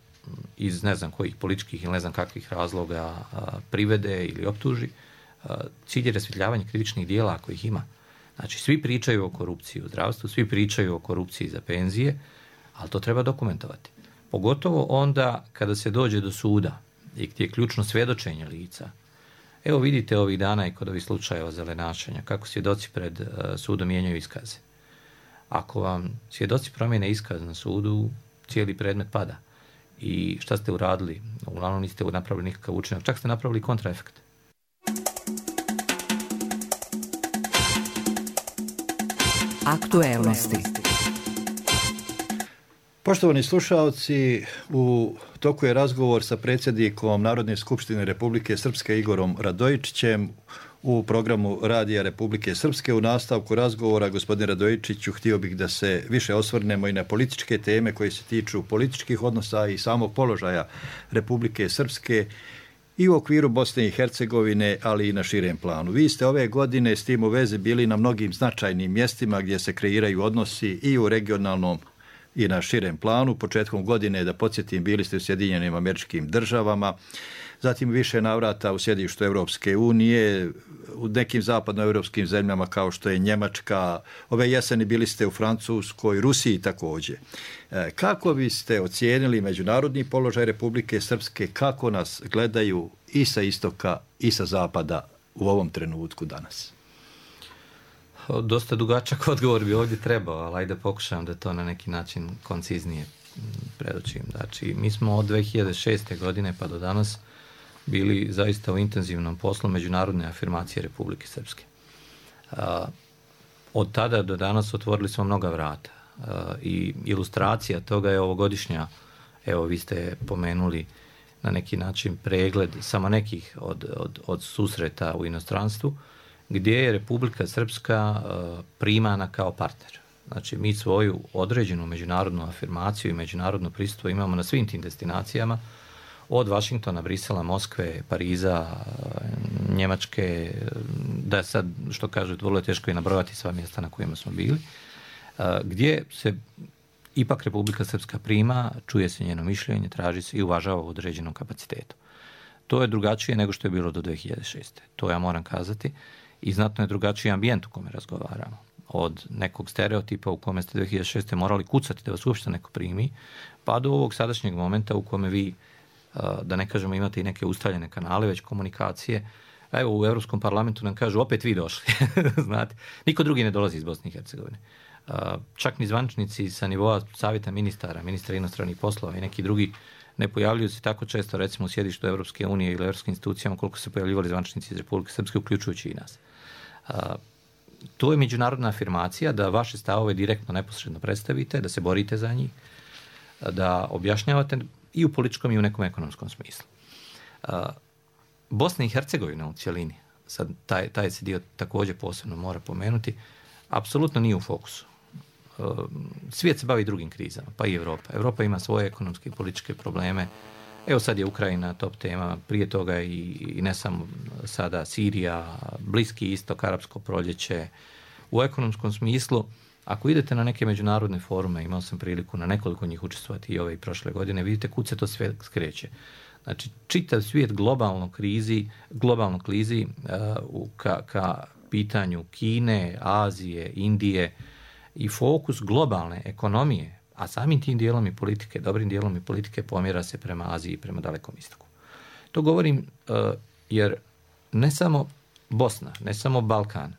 iz ne znam kojih političkih ili ne znam kakvih razloga uh, privede ili optuži. Uh, cilj je rasvjetljavanje krivičnih dijela ako ih ima. Znači, svi pričaju o korupciji u zdravstvu, svi pričaju o korupciji za penzije, ali to treba dokumentovati. Pogotovo onda kada se dođe do suda i gdje je ključno svjedočenje lica. Evo vidite ovih dana i kod ovih slučajeva zelenašenja, kako svjedoci pred uh, sudom mijenjaju iskaze. Ako vam svjedoci promijene iskaz na sudu, cijeli predmet pada. I šta ste uradili? Uglavnom niste napravili nikakav učinak, čak ste napravili kontraefekt. Aktuelnosti. Poštovani slušaoci, u toku je razgovor sa predsjednikom Narodne skupštine Republike Srpske Igorom Radojičićem u programu Radija Republike Srpske. U nastavku razgovora, gospodine Radojičiću, htio bih da se više osvrnemo i na političke teme koje se tiču političkih odnosa i samog položaja Republike Srpske i u okviru Bosne i Hercegovine, ali i na širem planu. Vi ste ove godine s tim u vezi bili na mnogim značajnim mjestima gdje se kreiraju odnosi i u regionalnom i na širem planu. Početkom godine, da podsjetim, bili ste u Sjedinjenim Američkim Državama, zatim više navrata u sjedištu Europske unije, u nekim zapadnoevropskim zemljama kao što je Njemačka. Ove jeseni bili ste u Francuskoj, Rusiji također. Kako biste ocijenili međunarodni položaj Republike Srpske, kako nas gledaju i sa istoka i sa zapada u ovom trenutku danas? Dosta dugačak odgovor bi ovdje trebao, ali ajde pokušam da to na neki način konciznije predočim. Znači, mi smo od dvije hiljade šeste. godine pa do danas bili zaista u intenzivnom poslu međunarodne afirmacije Republike Srpske. Od tada do danas otvorili smo mnoga vrata i ilustracija toga je ovogodišnja, evo vi ste pomenuli na neki način pregled samo nekih od, od, od susreta u inostranstvu, gdje je Republika Srpska primana kao partner. Znači, mi svoju određenu međunarodnu afirmaciju i međunarodno prisustvo imamo na svim tim destinacijama, od Vašingtona, Brisela, Moskve, Pariza, Njemačke, da sad, što kažu, vrlo je teško i nabrojati sva mjesta na kojima smo bili, gdje se ipak Republika Srpska prima, čuje se njeno mišljenje, traži se i uvažava u određenom kapacitetu. To je drugačije nego što je bilo do dvije hiljade šeste. To ja moram kazati. I znatno je drugačiji ambijent u kome razgovaramo. Od nekog stereotipa u kome ste dvije hiljade šeste. morali kucati da vas uopšte neko primi, pa do ovog sadašnjeg momenta u kome vi, da ne kažemo, imate i neke ustaljene kanale, već komunikacije. Evo, u Europskom parlamentu nam kažu, opet vi došli. Znate, niko drugi ne dolazi iz Bosne i Hercegovine. Čak ni zvančnici sa nivoa savjeta ministara, ministra inostranih poslova i neki drugi ne pojavljuju se tako često, recimo u sjedištu Europske unije ili europskim institucijama, koliko se pojavljivali zvančnici iz Republike Srpske, uključujući i nas. A, to je međunarodna afirmacija da vaše stavove direktno, neposredno predstavite, da se borite za njih, da objašnjavate i u političkom i u nekom ekonomskom smislu. A, Bosna i Hercegovina u cjelini, sad taj, taj se dio također posebno mora pomenuti, apsolutno nije u fokusu. Svijet se bavi drugim krizama, pa i Europa. Europa ima svoje ekonomske i političke probleme. Evo sad je Ukrajina top tema, prije toga i, i ne samo sada Sirija, Bliski istok, Arapsko proljeće. U ekonomskom smislu, ako idete na neke međunarodne forume, imao sam priliku na nekoliko njih učestvovati i ove i prošle godine, vidite kud se to sve skreće. Znači, čitav svijet globalno krizi, globalno klizi uh, ka, ka pitanju Kine, Azije, Indije, i fokus globalne ekonomije, a samim tim dijelom i politike, dobrim dijelom i politike pomjera se prema Aziji i prema Dalekom istoku. To govorim uh, jer ne samo Bosna, ne samo Balkan,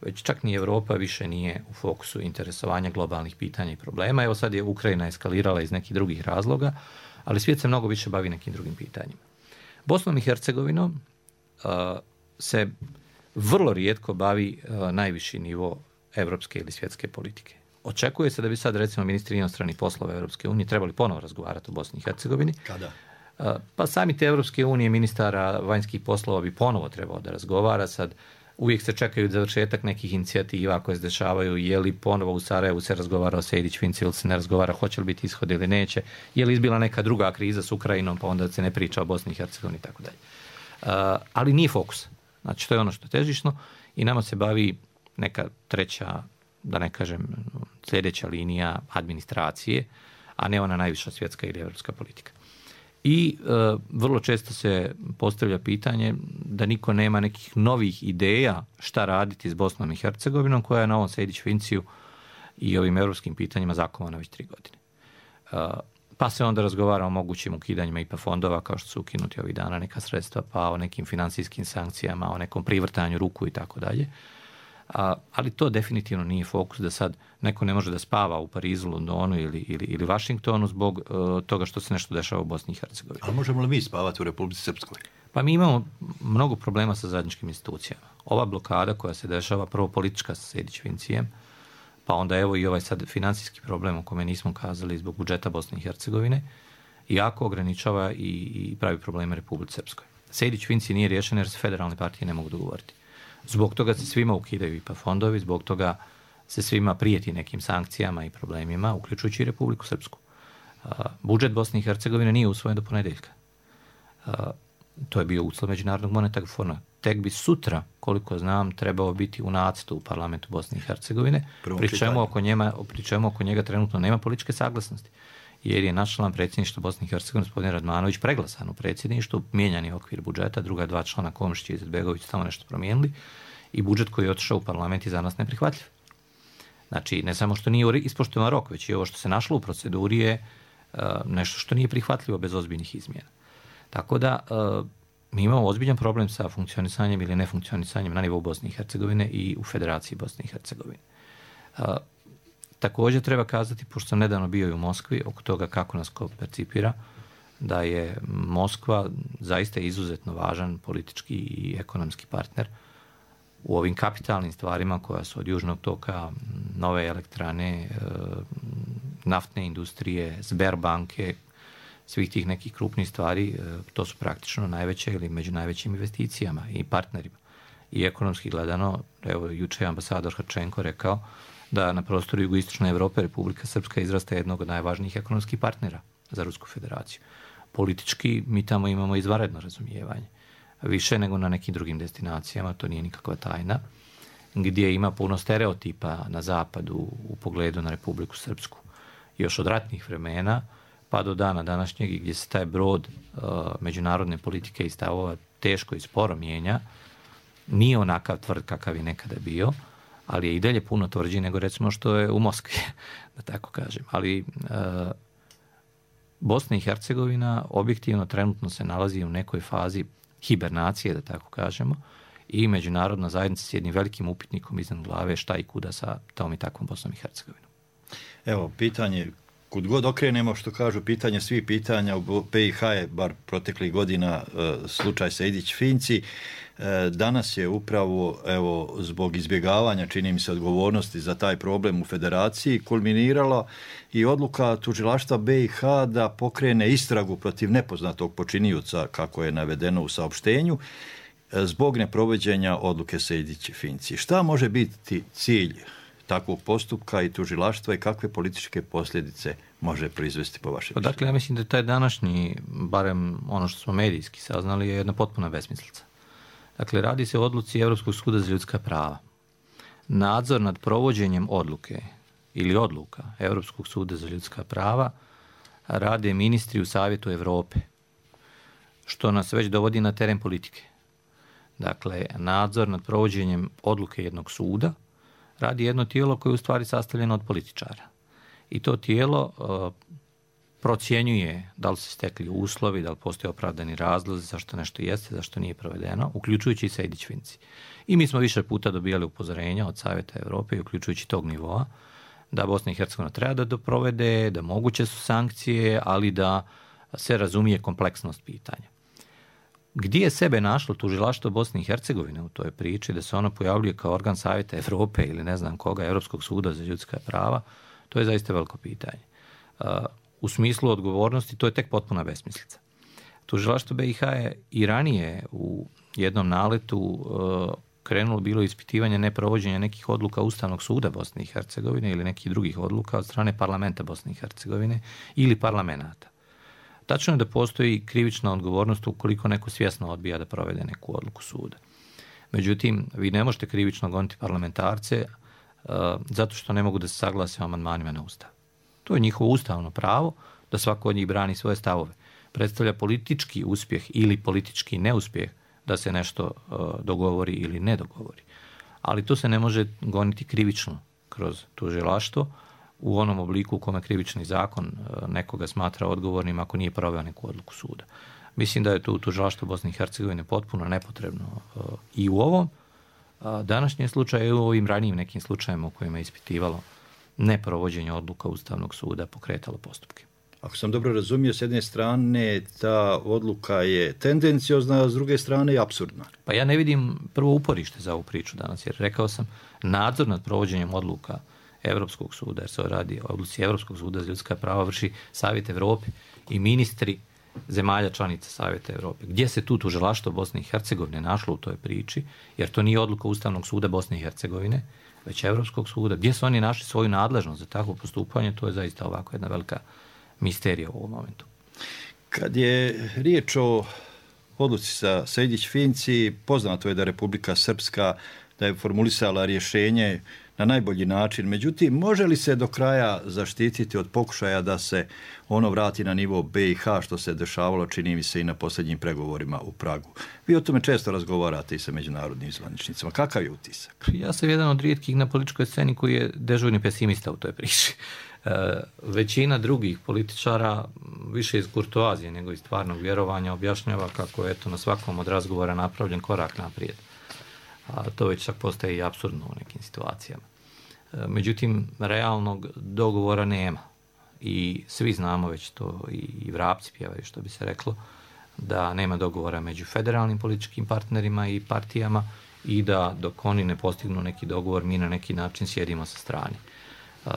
već čak ni Europa više nije u fokusu interesovanja globalnih pitanja i problema. Evo sad je Ukrajina eskalirala iz nekih drugih razloga, ali svijet se mnogo više bavi nekim drugim pitanjima. Bosnom i Hercegovinom uh, se vrlo rijetko bavi uh, najviši nivo evropske ili svjetske politike. Očekuje se da bi sad, recimo, ministri inostranih poslova Europske unije trebali ponovo razgovarati o Bosni i Hercegovini. Kada? Pa sami te Europske unije, ministara vanjskih poslova bi ponovo trebao da razgovara. Sad uvijek se čekaju završetak nekih inicijativa koje se dešavaju, je li ponovo u Sarajevu se razgovara o Sejdić-Finci ili se ne razgovara, hoće li biti ishod ili neće, je li izbila neka druga kriza s Ukrajinom, pa onda se ne priča o Bosni i Hercegovini i tako dalje. Ali nije fokus. Znači, to je ono što je težišno i nama se bavi neka treća, da ne kažem, sljedeća linija administracije, a ne ona najviša svjetska ili evropska politika. I e, vrlo često se postavlja pitanje da niko nema nekih novih ideja šta raditi s Bosnom i Hercegovinom, koja je na ovom Sejdić-Finciju i ovim evropskim pitanjima zakovana već tri godine. E, pa se onda razgovara o mogućim ukidanjima I P A fondova, kao što su ukinuti ovih dana neka sredstva, pa o nekim financijskim sankcijama, o nekom privrtanju ruku i tako dalje. A, ali to definitivno nije fokus da sad neko ne može da spava u Parizu, Londonu ili, ili, ili Vašingtonu zbog uh, toga što se nešto dešava u Bosni i Hercegovini. Ali možemo li mi spavati u Republici Srpskoj? Pa mi imamo mnogo problema sa zajedničkim institucijama. Ova blokada koja se dešava, prvo politička sa Sejdić-Fincijem, pa onda evo i ovaj sad financijski problem o kome nismo kazali zbog budžeta Bosne i Hercegovine, jako ograničava i, i pravi probleme Republici Srpskoj. Sejdić-Finci nije riješen jer se federalne partije ne mogu dogovoriti. Zbog toga se svima ukidaju I P A fondovi, zbog toga se svima prijeti nekim sankcijama I problemima, uključujući I Republiku Srpsku. Budžet Bosne I Hercegovine nije usvojen do ponedeljka. To je bio uslov Međunarodnog monetarnog fonda. Tek bi sutra, koliko znam, trebao biti u nacrtu u parlamentu Bosne I Hercegovine, pri čemu, oko njema, pri čemu oko njega trenutno nema političke saglasnosti. Jer je naš član predsjedništva Bosne I Hercegovine, gospodin Radmanović, preglasan u predsjedništvu, mijenjani okvir budžeta, druga dva člana Komšić I Izetbegović tamo nešto promijenili i budžet koji je otišao u parlament je za nas neprihvatljiv. Znači, ne samo što nije ispoštovan rok, već i ovo što se našlo u proceduri je uh, nešto što nije prihvatljivo bez ozbiljnih izmjena. Tako da, uh, mi imamo ozbiljan problem sa funkcionisanjem ili nefunkcionisanjem na nivou Bosne I Hercegovine I u Federaciji Bosne I Hercegovine. Uh, također treba kazati, pošto sam nedavno bio I u Moskvi, oko toga kako nas ko percipira, da je Moskva zaista izuzetno važan politički I ekonomski partner u ovim kapitalnim stvarima koja su od Južnog toka, nove elektrane, naftne industrije, Sberbanke, svih tih nekih krupnih stvari, to su praktično najveće ili među najvećim investicijama I partnerima. I ekonomski gledano, evo, juče je ambasador Hrčenko rekao da na prostoru jugoistočne Evrope Republika Srpska izrasta jednog od najvažnijih ekonomskih partnera za Rusku federaciju. Politički mi tamo imamo izvanredno razumijevanje. Više nego na nekim drugim destinacijama, to nije nikakva tajna, gdje ima puno stereotipa na zapadu u pogledu na Republiku Srpsku. Još od ratnih vremena pa do dana današnjeg gdje se taj brod uh, međunarodne politike I stavova teško I sporo mijenja, nije onakav tvrd kakav je nekada bio, ali je I dalje puno tvrđi nego recimo što je u Moskvi, da tako kažem. Ali uh, Bosna I Hercegovina objektivno trenutno se nalazi u nekoj fazi hibernacije, da tako kažemo, I međunarodna zajednica s jednim velikim upitnikom iznad glave šta I kuda sa tom I takvom Bosnom I Hercegovinom. Evo, pitanje, kud god okrenemo, što kažu, pitanje svih pitanja u B I H je, bar proteklih godina, slučaj Sejdić-Finci. Danas je upravo, evo, zbog izbjegavanja, čini mi se, odgovornosti za taj problem u federaciji, kulminirala I odluka tužilaštva B I H da pokrene istragu protiv nepoznatog počinioca, kako je navedeno u saopštenju, zbog neprovođenja odluke Sejdić-Finci. Šta može biti cilj takvog postupka I tužilaštva I kakve političke posljedice može proizvesti po vašem mišljenju? Dakle, ja mislim da taj današnji, barem ono što smo medijski saznali, je jedna potpuna besmislica. Dakle, radi se o odluci Europskog suda za ljudska prava. Nadzor nad provođenjem odluke ili odluka Europskog suda za ljudska prava rade ministri u Savjetu Europe, što nas već dovodi na teren politike. Dakle, nadzor nad provođenjem odluke jednog suda radi jedno tijelo koje je u stvari sastavljeno od političara. I to tijelo uh, procjenjuje da li se stekli uslovi, da li postoje opravdani razlozi zašto nešto jeste, zašto nije provedeno, uključujući I Sejdić-Finci. I mi smo više puta dobijali upozorenja od Savjeta Europe, uključujući tog nivoa, da Bosna I Hercegovina treba da doprovede, da moguće su sankcije, ali da se razumije kompleksnost pitanja. Gdje je sebe našlo tužilaštvo Bosne I Hercegovine u toj priči, da se ono pojavljuje kao organ Savjeta Europe ili ne znam koga, Europskog suda za ljudska prava, to je zaista veliko pitanje. Uh, u smislu odgovornosti to je tek potpuna besmislica. Tužilaštvo B I H je I ranije u jednom naletu uh, krenulo bilo ispitivanje neprovođenja nekih odluka Ustavnog suda Bosne I Hercegovine ili nekih drugih odluka od strane parlamenta Bosne I Hercegovine ili parlamenata. Tačno je da postoji krivična odgovornost ukoliko neko svjesno odbija da provede neku odluku suda. Međutim, vi ne možete krivično goniti parlamentarce uh, zato što ne mogu da se saglase o amandmanima na Ustav. To je njihovo ustavno pravo da svako od njih brani svoje stavove. Predstavlja politički uspjeh ili politički neuspjeh da se nešto uh, dogovori ili ne dogovori. Ali to se ne može goniti krivično kroz tužilaštvo u onom obliku u kome krivični zakon nekoga smatra odgovornim ako nije proveo neku odluku suda. Mislim da je tu tužilaštvo Bosne I Hercegovine potpuno nepotrebno I u ovom današnjem slučaju i u ovim ranijim nekim slučajima u kojima je ispitivalo neprovođenje odluka Ustavnog suda pokretalo postupke. Ako sam dobro razumio, s jedne strane ta odluka je tendenciozna, a s druge strane je apsurdna. Pa ja ne vidim prvo uporište za ovu priču danas, jer rekao sam nadzor nad provođenjem odluka Evropskog suda, jer se radi o odluci Evropskog suda za ljudska prava, vrši Savjet Evrope I ministri zemalja članica Savjeta Europe. Gdje se tu tužilaštvo Bosne i Hercegovine našlo u toj priči, jer to nije odluka Ustavnog suda Bosne i Hercegovine, već Europskog suda. Gdje su oni našli svoju nadležnost za takvo postupanje, to je zaista ovako jedna velika misterija u ovom momentu. Kad je riječ o odluci sa Sejdić-Finci, poznato je da Republika Srpska da je formulisala rješenje na najbolji način. Međutim, može li se do kraja zaštititi od pokušaja da se ono vrati na nivo B i H, što se dešavalo, čini mi se, i na posljednjim pregovorima u Pragu? Vi o tome često razgovarate i sa međunarodnim zvaničnicima. Kakav je utisak? Ja sam jedan od rijetkih na političkoj sceni koji je dežurni pesimista u toj priči. E, većina drugih političara, više iz kurtoazije nego iz stvarnog vjerovanja, objašnjava kako je eto na svakom od razgovora napravljen korak naprijed. A to već čak postaje i apsurdno u nekim situacijama. E, međutim, realnog dogovora nema. I svi znamo već to, i vrapci pjevaju, što bi se reklo, da nema dogovora među federalnim političkim partnerima i partijama i da dok oni ne postignu neki dogovor, mi na neki način sjedimo sa strane. E,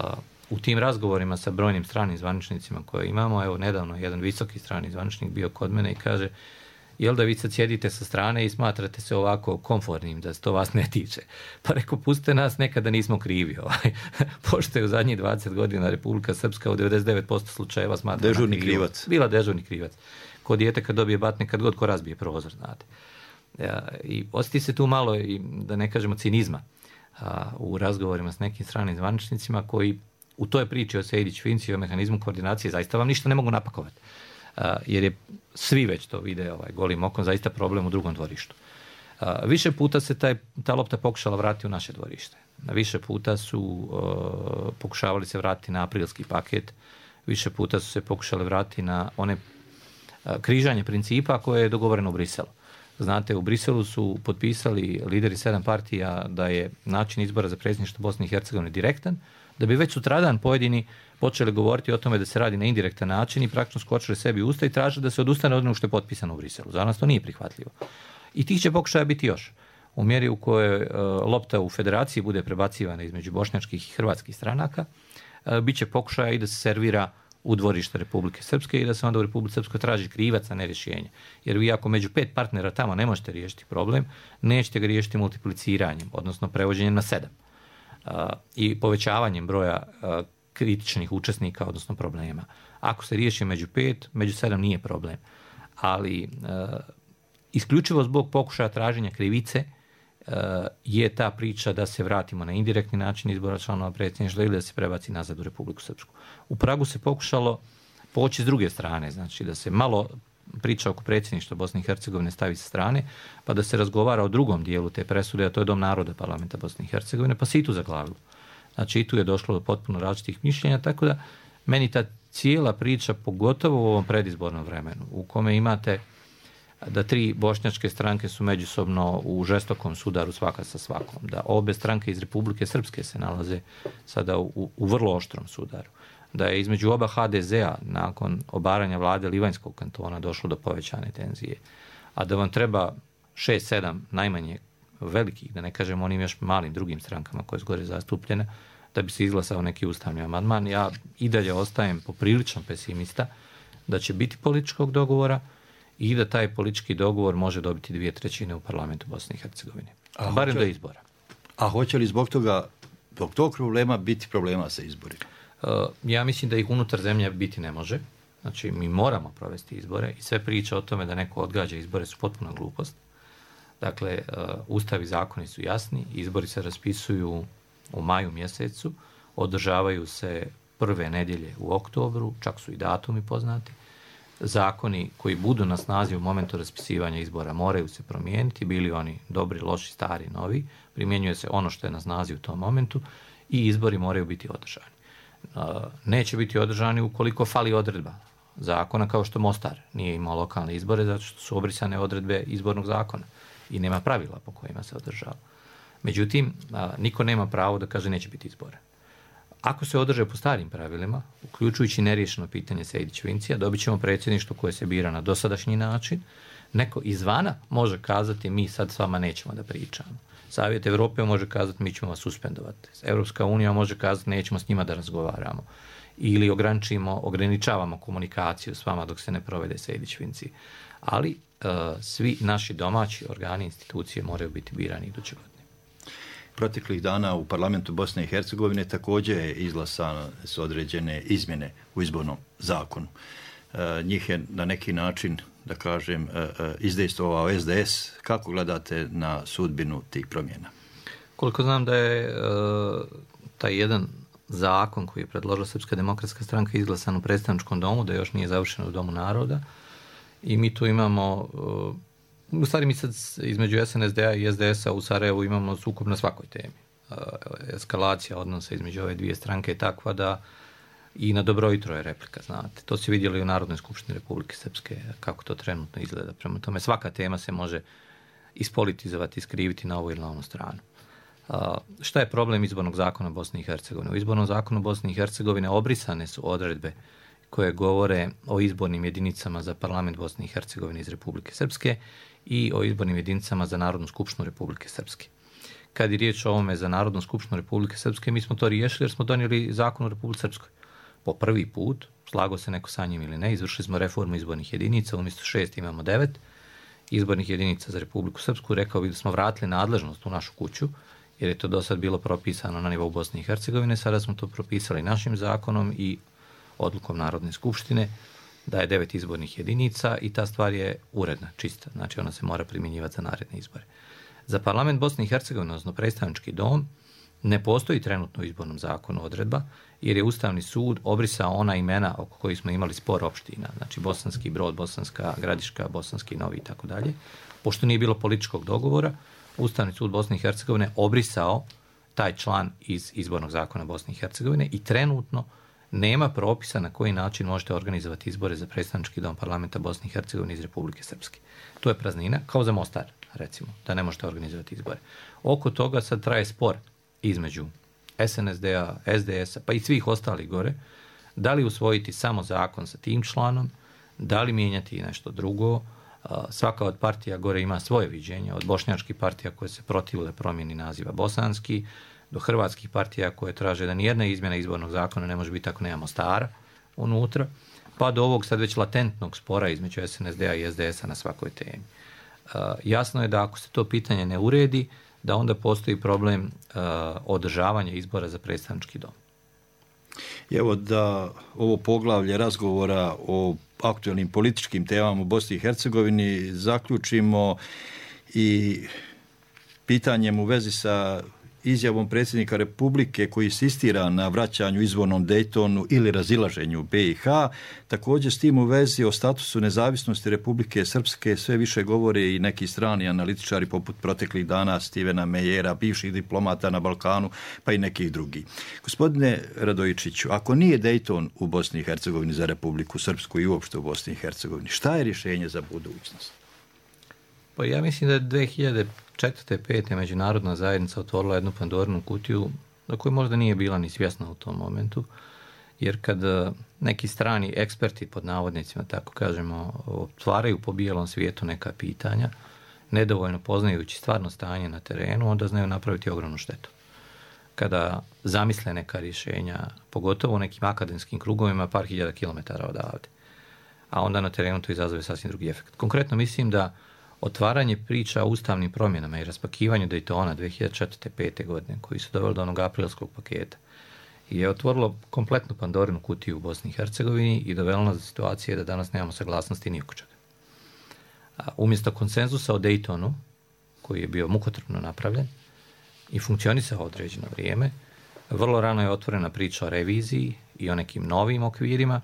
u tim razgovorima sa brojnim stranim zvaničnicima koje imamo, evo nedavno jedan visoki strani zvaničnik bio kod mene i kaže: jel da vi sad sjedite sa strane i smatrate se ovako komfortnim da se to vas ne tiče? Pa rekao, pustite nas, nekada nismo krivi. Ovaj. Pošto je u zadnjih dvadeset godina Republika Srpska u devedeset devet posto slučajeva smatrana dežurni krivac. Bila dežurni krivac. Ko dijete kad dobije batne, kad god ko razbije prozor, znate. Ja, i osjeti se tu malo, i da ne kažemo, cinizma a, u razgovorima s nekim stranim zvaničnicima koji u toj priči o Sejdić-Finci i o mehanizmu koordinacije zaista vam ništa ne mogu napakovati. Uh, jer je svi već to vide ovaj, golim okom, zaista problem u drugom dvorištu. Uh, više puta se taj, ta lopta pokušala vratiti u naše dvorište. Na više puta su uh, pokušavali se vratiti na aprilski paket, više puta su se pokušali vratiti na one uh, križanje principa koje je dogovoreno u Briselu. Znate, u Briselu su potpisali lideri sedam partija da je način izbora za predsjedništvo Bosne i Hercegovine direktan, da bi već sutradan pojedini počeli govoriti o tome da se radi na indirektan način i praktično skočili sebi u usta i tražili da se odustane od onog što je potpisano u Briselu. Za nas to nije prihvatljivo. I tih će pokušaja biti još. U mjeri u kojoj uh, lopta u federaciji bude prebacivana između bošnjačkih i hrvatskih stranaka, uh, bit će pokušaja i da se servira u dvorište Republike Srpske i da se onda u Republike Srpskoj traži krivac, a ne rješenje. Jer vi ako među pet partnera tamo ne možete riješiti problem, nećete ga riješiti multipliciranjem, odnosno prevođenjem na sedam. Uh, i povećavanjem broja uh, kritičnih učesnika, odnosno problema. Ako se riješi među pet, među sedam nije problem. Ali uh, isključivo zbog pokušaja traženja krivice uh, je ta priča da se vratimo na indirektni način izbora članova predsjedništva ili da se prebaci nazad u Republiku Srpsku. U Pragu se pokušalo poći s druge strane, znači da se malo priča oko predsjedništva Bosne i Hercegovine stavi sa strane, pa da se razgovara o drugom dijelu te presude, a to je Dom naroda parlamenta Bosne i Hercegovine, pa se i tu zaglavilo. Znači i tu je došlo do potpuno različitih mišljenja, tako da meni ta cijela priča, pogotovo u ovom predizbornom vremenu, u kome imate da tri bošnjačke stranke su međusobno u žestokom sudaru svaka sa svakom, da obe stranke iz Republike Srpske se nalaze sada u, u vrlo oštrom sudaru, da je između oba ha de zea nakon obaranja vlade Livanjskog kantona došlo do povećane tenzije, a da vam treba šest sedam najmanje velikih, da ne kažem onim još malim drugim strankama koje su gore zastupljene, da bi se izglasao neki ustavni amandman. Ja i dalje ostajem poprilično pesimista da će biti političkog dogovora i da taj politički dogovor može dobiti dvije trećine u parlamentu Bosne i Hercegovine. A barem hoće, do izbora. A hoće li zbog toga, zbog tog problema biti problema sa izborima? Uh, ja mislim da ih unutar zemlje biti ne može. Znači, mi moramo provesti izbore i sve priče o tome da neko odgađa izbore su potpuna glupost. Dakle, uh, ustavi i zakoni su jasni, izbori se raspisuju u maju mjesecu, održavaju se prve nedjelje u oktobru, čak su i datumi poznati. Zakoni koji budu na snazi u momentu raspisivanja izbora moraju se promijeniti, bili oni dobri, loši, stari, novi, primjenjuje se ono što je na snazi u tom momentu i izbori moraju biti održani. Uh, neće biti održani ukoliko fali odredba zakona, kao što Mostar nije imao lokalne izbore zato što su obrisane odredbe izbornog zakona i nema pravila po kojima se održava. Međutim, a, niko nema pravo da kaže neće biti izbora. Ako se održe po starim pravilima, uključujući neriješeno pitanje Sejdić-Fincija, dobit ćemo predsjedništvo koje se bira na dosadašnji način. Neko izvana može kazati mi sad s vama nećemo da pričamo. Savjet Europe može kazati mi ćemo vas suspendovati. Europska unija može kazati nećemo s njima da razgovaramo. ili ograničimo, ograničavamo komunikaciju s vama dok se ne provede Sejdić-Finci. Ali uh, svi naši domaći organi, institucije moraju biti birani iduće godine. Proteklih dana u parlamentu Bosne i Hercegovine također je izglasane su određene izmjene u izbornom zakonu. E, njih je na neki način, da kažem, e, e, izdejstvovao es de es. Kako gledate na sudbinu tih promjena? Koliko znam da je e, taj jedan zakon koji je predložila Srpska demokratska stranka izglasan u predstavničkom domu, da još nije završen u Domu naroda, i mi tu imamo... E, U stvari mi sad između es en es de a i es de es a u Sarajevu imamo sukob na svakoj temi. Eskalacija odnosa između ove dvije stranke je takva da i na dobro jutro je replika, znate. To se vidjeli u Narodnoj skupštini Republike Srpske, kako to trenutno izgleda. Prema tome, svaka tema se može ispolitizovati, iskriviti na ovu ili na onu stranu. Šta je problem izbornog zakona Bosne i Hercegovine? U izbornom zakonu Bosne i Hercegovine obrisane su odredbe koje govore o izbornim jedinicama za parlament Bosne i Hercegovine iz Republike Srpske i o izbornim jedinicama za Narodnu skupštinu Republike Srpske. Kad je riječ o ovome za Narodnu skupštinu Republike Srpske, mi smo to riješili jer smo donijeli zakon u Republike Srpskoj. Po prvi put, slago se neko sa njim ili ne, izvršili smo reformu izbornih jedinica, umjesto šest imamo devet izbornih jedinica za Republiku Srpsku. Rekao bih da smo vratili nadležnost u našu kuću, jer je to do sad bilo propisano na nivou Bosne i Hercegovine, sada smo to propisali našim zakonom i odlukom Narodne skupštine, da je devet izbornih jedinica i ta stvar je uredna, čista. Znači ona se mora primjenjivati za naredne izbore. Za parlament Bosne i Hercegovine, odnosno predstavnički dom, ne postoji trenutno u izbornom zakonu odredba, jer je Ustavni sud obrisao ona imena oko kojih smo imali spor opština, znači Bosanski Brod, Bosanska Gradiška, Bosanski Novi i tako dalje. Pošto nije bilo političkog dogovora, Ustavni sud Bosne i Hercegovine obrisao taj član iz izbornog zakona Bosne i Hercegovine i trenutno nema propisa na koji način možete organizovati izbore za predstavnički dom parlamenta Bosne i Hercegovine iz Republike Srpske. To je praznina, kao za Mostar, recimo, da ne možete organizovati izbore. Oko toga sad traje spor između es en es de a, es de es a, pa i svih ostalih gore, da li usvojiti samo zakon sa tim članom, da li mijenjati nešto drugo. Svaka od partija gore ima svoje viđenje, od bošnjačkih partija koje se protivile promjeni naziva bosanski, do hrvatskih partija koje traže da nijedna izmjena izbornog zakona ne može biti ako nemamo Mostara unutra, pa do ovog sad već latentnog spora između es en es de a i es de es a na svakoj temi. Uh, jasno je da ako se to pitanje ne uredi, da onda postoji problem uh, održavanja izbora za predstavnički dom. Evo da ovo poglavlje razgovora o aktualnim političkim temama u Bosni i Hercegovini zaključimo i pitanjem u vezi sa izjavom predsjednika Republike koji insistira na vraćanju izvornom Dejtonu ili razilaženju be i ha. Također s tim u vezi o statusu nezavisnosti Republike Srpske sve više govore i neki strani analitičari poput proteklih dana Stivena Mejera, bivših diplomata na Balkanu, pa i nekih drugih. Gospodine Radojičiću, ako nije Dejton u Bosni i Hercegovini za Republiku Srpsku i uopšte u Bosni i Hercegovini, šta je rješenje za budućnost? Pa ja mislim da je dvije hiljade četvrte. pete. međunarodna zajednica otvorila jednu Pandorinu kutiju za koju možda nije bila ni svjesna u tom momentu, jer kad neki strani eksperti, pod navodnicima, tako kažemo, otvaraju po bijelom svijetu neka pitanja, nedovoljno poznajući stvarno stanje na terenu, onda znaju napraviti ogromnu štetu. Kada zamisle neka rješenja, pogotovo u nekim akademskim krugovima, par hiljada kilometara odavde, a onda na terenu to izazove sasvim drugi efekt. Konkretno mislim da otvaranje priča o ustavnim promjenama i raspakivanju Dejtona dvije hiljade četvrte. pete. godine, koji su doveli do onog aprilskog paketa, je otvorilo kompletnu Pandorinu kutiju u Bosni i Hercegovini i dovelo nas do situacije da danas nemamo saglasnosti ni oko čega. Umjesto konsenzusa o Dejtonu, koji je bio mukotrpno napravljen i funkcionisao određeno vrijeme, vrlo rano je otvorena priča o reviziji i o nekim novim okvirima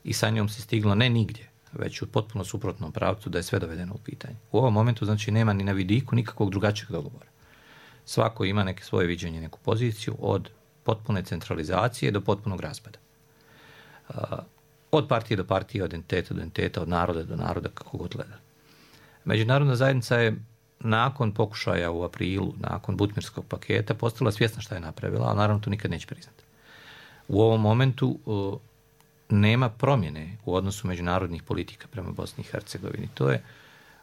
i sa njom se stiglo ne nigdje, već u potpuno suprotnom pravcu da je sve dovedeno u pitanje. U ovom momentu znači nema ni na vidiku nikakvog drugačijeg dogovora. Svako ima neke svoje viđenje, neku poziciju od potpune centralizacije do potpunog raspada. Od partije do partije, od entiteta do entiteta, od naroda do naroda, kako god gleda. Međunarodna zajednica je nakon pokušaja u aprilu, nakon Butmirskog paketa, postala svjesna šta je napravila, ali naravno to nikad neće priznati. U ovom momentu nema promjene u odnosu međunarodnih politika prema Bosni i Hercegovini. To je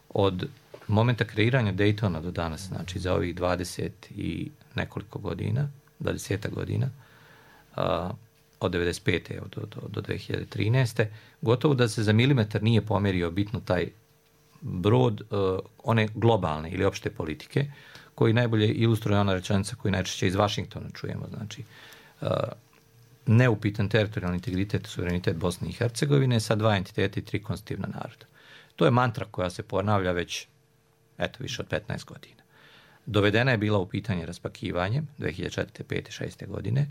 od momenta kreiranja Dejtona do danas, znači za ovih dvadeset i nekoliko godina, dvadeset godina, a, od devedeset pete do, do, do dve hiljade trinaeste. Gotovo da se za milimetar nije pomjerio bitno taj brod uh, one globalne ili opšte politike, koji najbolje ilustruje ona rečenica koju najčešće iz Vašingtona čujemo. Znači, uh, neupitan teritorijalni integritet i suverenitet Bosne i Hercegovine sa dva entiteta i tri konstitutivna naroda. To je mantra koja se ponavlja već eto, više od petnaest godina. Dovedena je bila u pitanje raspakivanjem dve hiljade četvrte, pete, šeste godine.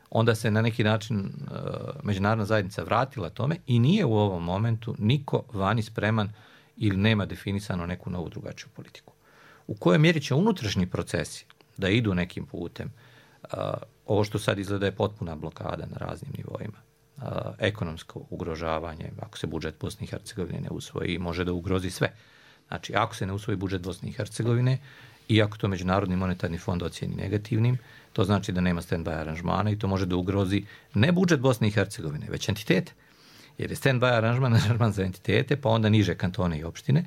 Onda se na neki način uh, međunarodna zajednica vratila tome i nije u ovom momentu niko vani spreman ili nema definisano neku novu drugačiju politiku. U kojoj mjeri će unutrašnji procesi da idu nekim putem, uh, ovo što sad izgleda je potpuna blokada na raznim nivoima, uh, ekonomsko ugrožavanje, ako se budžet Bosne i Hercegovine ne usvoji, može da ugrozi sve. Znači, ako se ne usvoji budžet Bosne i Hercegovine, i ako to Međunarodni monetarni fond ocijeni negativnim, to znači da nema stand-by aranžmana i to može da ugrozi ne budžet Bosne i Hercegovine, već entitete. Jer je stand-by aranžman, aranžman za entitete, pa onda niže kantone i opštine,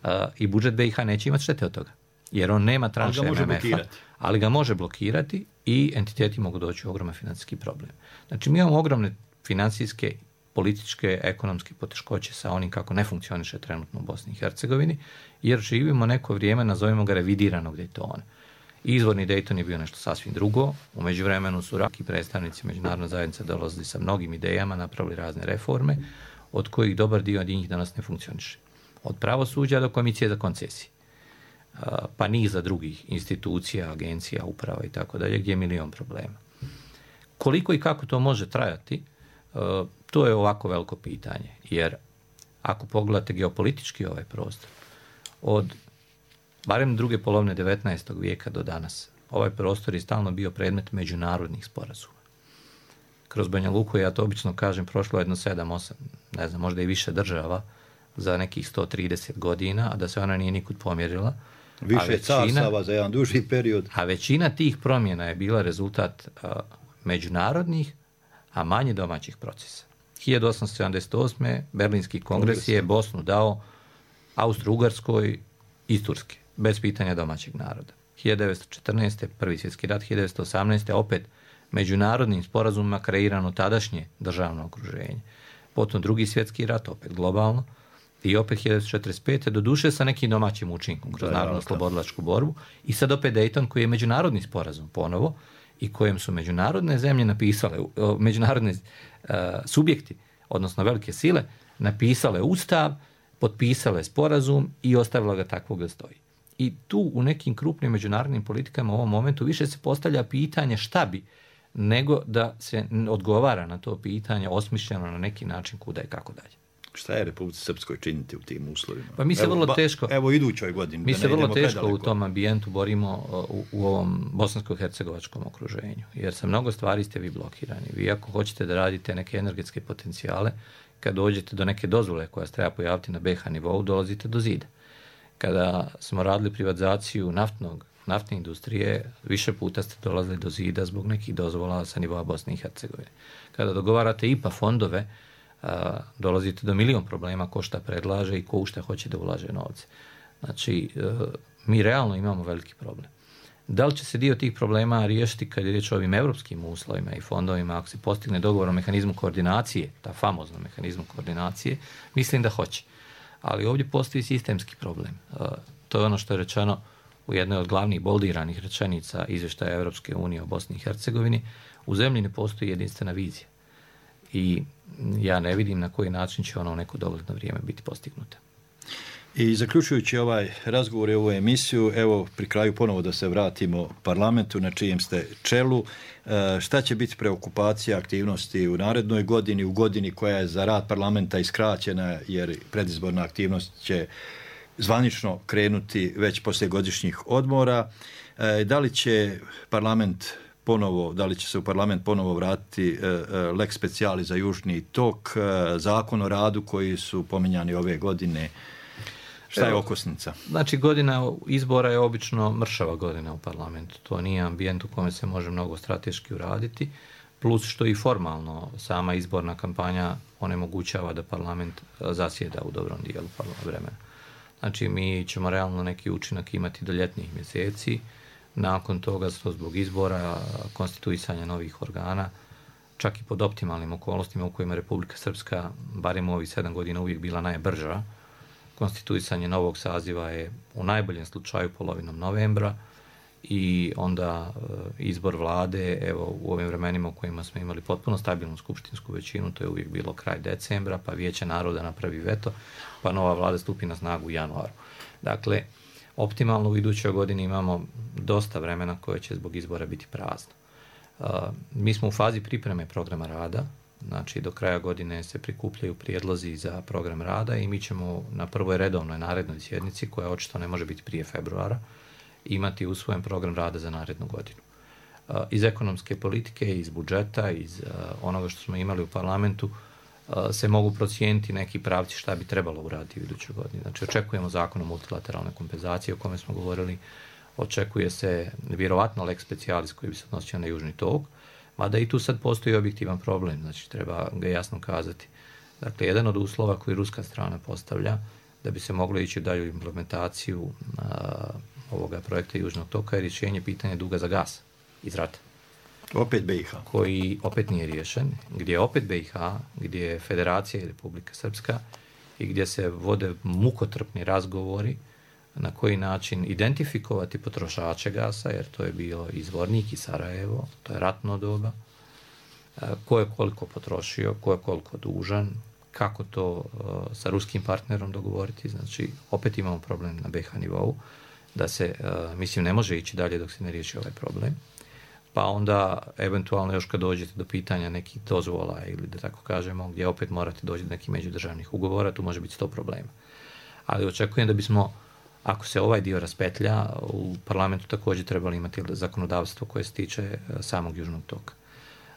uh, i budžet be i ha neće imati štete od toga. Jer on nema tranše em em ef-a, ali ga može blokirati i entiteti mogu doći u ogroman financijski problem. Znači, mi imamo ogromne financijske, političke, ekonomske poteškoće sa onim kako ne funkcioniše trenutno u Bosni i Hercegovini, jer živimo neko vrijeme, nazovimo ga revidiranog Daytona. Izvorni Dayton je bio nešto sasvim drugo. U međuvremenu su raki predstavnici međunarodne zajednice dolazili sa mnogim idejama, napravili razne reforme, od kojih dobar dio od njih danas ne funkcioniše. Od pravosuđa do komisije za koncesije, pa niza drugih institucija, agencija, uprava i tako dalje, gdje je milion problema. Koliko i kako to može trajati, to je ovako veliko pitanje, jer ako pogledate geopolitički ovaj prostor, od barem druge polovine devetnaestog vijeka do danas, ovaj prostor je stalno bio predmet međunarodnih sporazuma. Kroz Banja Luku, ja to obično kažem, prošlo jedno sedam, osam, ne znam, možda i više država za nekih sto trideset godina, a da se ona nije nikud pomjerila. Više carstava za jedan duži period. A većina tih promjena je bila rezultat a, međunarodnih, a manje domaćih procesa. hiljadu osamsto sedamdeset osme. Berlinski kongres, kongres je Bosnu dao Austro-Ugarskoj iz Turske, bez pitanja domaćeg naroda. hiljadu devetsto četrnaeste. Prvi svjetski rat, hiljadu devetsto osamnaeste. opet međunarodnim sporazumima kreirano tadašnje državno okruženje. Potom drugi svjetski rat, opet globalno, i opet hiljadu devetsto četrdeset pete. doduše sa nekim domaćim učinkom, kroz narodno-slobodilačku borbu, i sad opet Dayton koji je međunarodni sporazum ponovo, i kojem su međunarodne zemlje napisale, međunarodne uh, subjekti, odnosno velike sile, napisale ustav, potpisale sporazum i ostavila ga takvog da stoji. I tu u nekim krupnim međunarodnim politikama u ovom momentu više se postavlja pitanje šta bi, nego da se odgovara na to pitanje osmišljeno na neki način kuda i kako dalje. Šta je Republici Srpskoj činiti u tim uslovima? Pa mi se evo, vrlo teško, ba, evo idućoj godini. Mi se vrlo teško predaleko. U tom ambijentu borimo u, u ovom bosansko-hercegovačkom okruženju, jer sa mnogo stvari ste vi blokirani. Vi ako hoćete da radite neke energetske potencijale, kad dođete do neke dozvole koja se treba pojaviti na be ha nivou, dolazite do zida. Kada smo radili privatizaciju naftnog, naftne industrije, više puta ste dolazili do zida zbog nekih dozvola sa nivoa Bosne i Hercegovine. Kada dogovarate i pe a fondove, a, dolazite do milion problema ko šta predlaže i ko u šta hoće da ulaže novce. Znači, a, mi realno imamo veliki problem. Da li će se dio tih problema riješiti kad je riječ o ovim evropskim uslovima i fondovima, ako se postigne dogovor o mehanizmu koordinacije, ta famozna mehanizmu koordinacije, mislim da hoće. Ali ovdje postoji sistemski problem. A, to je ono što je rečeno u jednoj od glavnih boldiranih rečenica izvještaja Evropske unije o Bosni i Hercegovini. U zemlji ne postoji jedinstvena vizija. I ja ne vidim na koji način će ono u neko dogledno vrijeme biti postignuta. I zaključujući ovaj razgovor i ovu emisiju, evo pri kraju ponovo da se vratimo parlamentu na čijem ste čelu. Šta će biti preokupacija aktivnosti u narednoj godini, u godini koja je za rad parlamenta iskraćena, jer predizborna aktivnost će zvanično krenuti već poslije godišnjih odmora. Da li će parlament ponovo, da li će se u parlament ponovo vratiti lex speciali za Južni tok, zakon o radu koji su pominjani ove godine? Šta je okosnica? Znači, godina izbora je obično mršava godina u parlamentu. To nije ambijent u kome se može mnogo strateški uraditi, plus što i formalno sama izborna kampanja onemogućava da parlament zasjeda u dobrom dijelu vremena. Znači, mi ćemo realno neki učinak imati do ljetnih mjeseci. Nakon toga, zbog izbora, konstituisanja novih organa, čak i pod optimalnim okolnostima u kojima Republika Srpska, barem u ovih sedam godina, uvijek bila najbrža. Konstituisanje novog saziva je u najboljem slučaju polovinom novembra i onda izbor vlade, evo u ovim vremenima u kojima smo imali potpuno stabilnu skupštinsku većinu, to je uvijek bilo kraj decembra, pa Vijeće naroda napravi veto, pa nova vlada stupi na snagu u januaru. Dakle, optimalno u idućoj godini imamo dosta vremena koje će zbog izbora biti prazno. Uh, mi smo u fazi pripreme programa rada, znači do kraja godine se prikupljaju prijedlozi za program rada i mi ćemo na prvoj redovnoj narednoj sjednici, koja očito ne može biti prije februara, imati usvojen program rada za narednu godinu. Uh, iz ekonomske politike, iz budžeta, iz uh, onoga što smo imali u parlamentu, uh, se mogu procijeniti neki pravci šta bi trebalo uraditi u idućoj godini. Znači, očekujemo zakon o multilateralnoj kompenzaciji o kome smo govorili, očekuje se vjerovatno lex specialis koji bi se odnosio na južni tok, mada i tu sad postoji objektivan problem, znači treba ga jasno kazati. Dakle, jedan od uslova koji ruska strana postavlja da bi se moglo ići u dalju implementaciju a, ovoga projekta južnog toka je rješenje pitanja duga za gas iz rata. Opet B i H. Koji opet nije riješen, gdje je opet B i H, gdje je Federacija i Republika Srpska i gdje se vode mukotrpni razgovori na koji način identifikovati potrošače gasa, jer to je bio izvornik i Sarajevo, to je ratno doba, ko je koliko potrošio, ko je koliko dužan, kako to sa ruskim partnerom dogovoriti, znači opet imamo problem na B i H nivou, da se, mislim, ne može ići dalje dok se ne riješi ovaj problem, pa onda eventualno još kad dođete do pitanja nekih dozvola ili da tako kažemo, gdje opet morate doći do nekih međudržavnih ugovora, tu može biti sto problema. Ali očekujem da bismo, ako se ovaj dio raspetlja, u parlamentu također trebali imati zakonodavstvo koje se tiče samog južnog toka.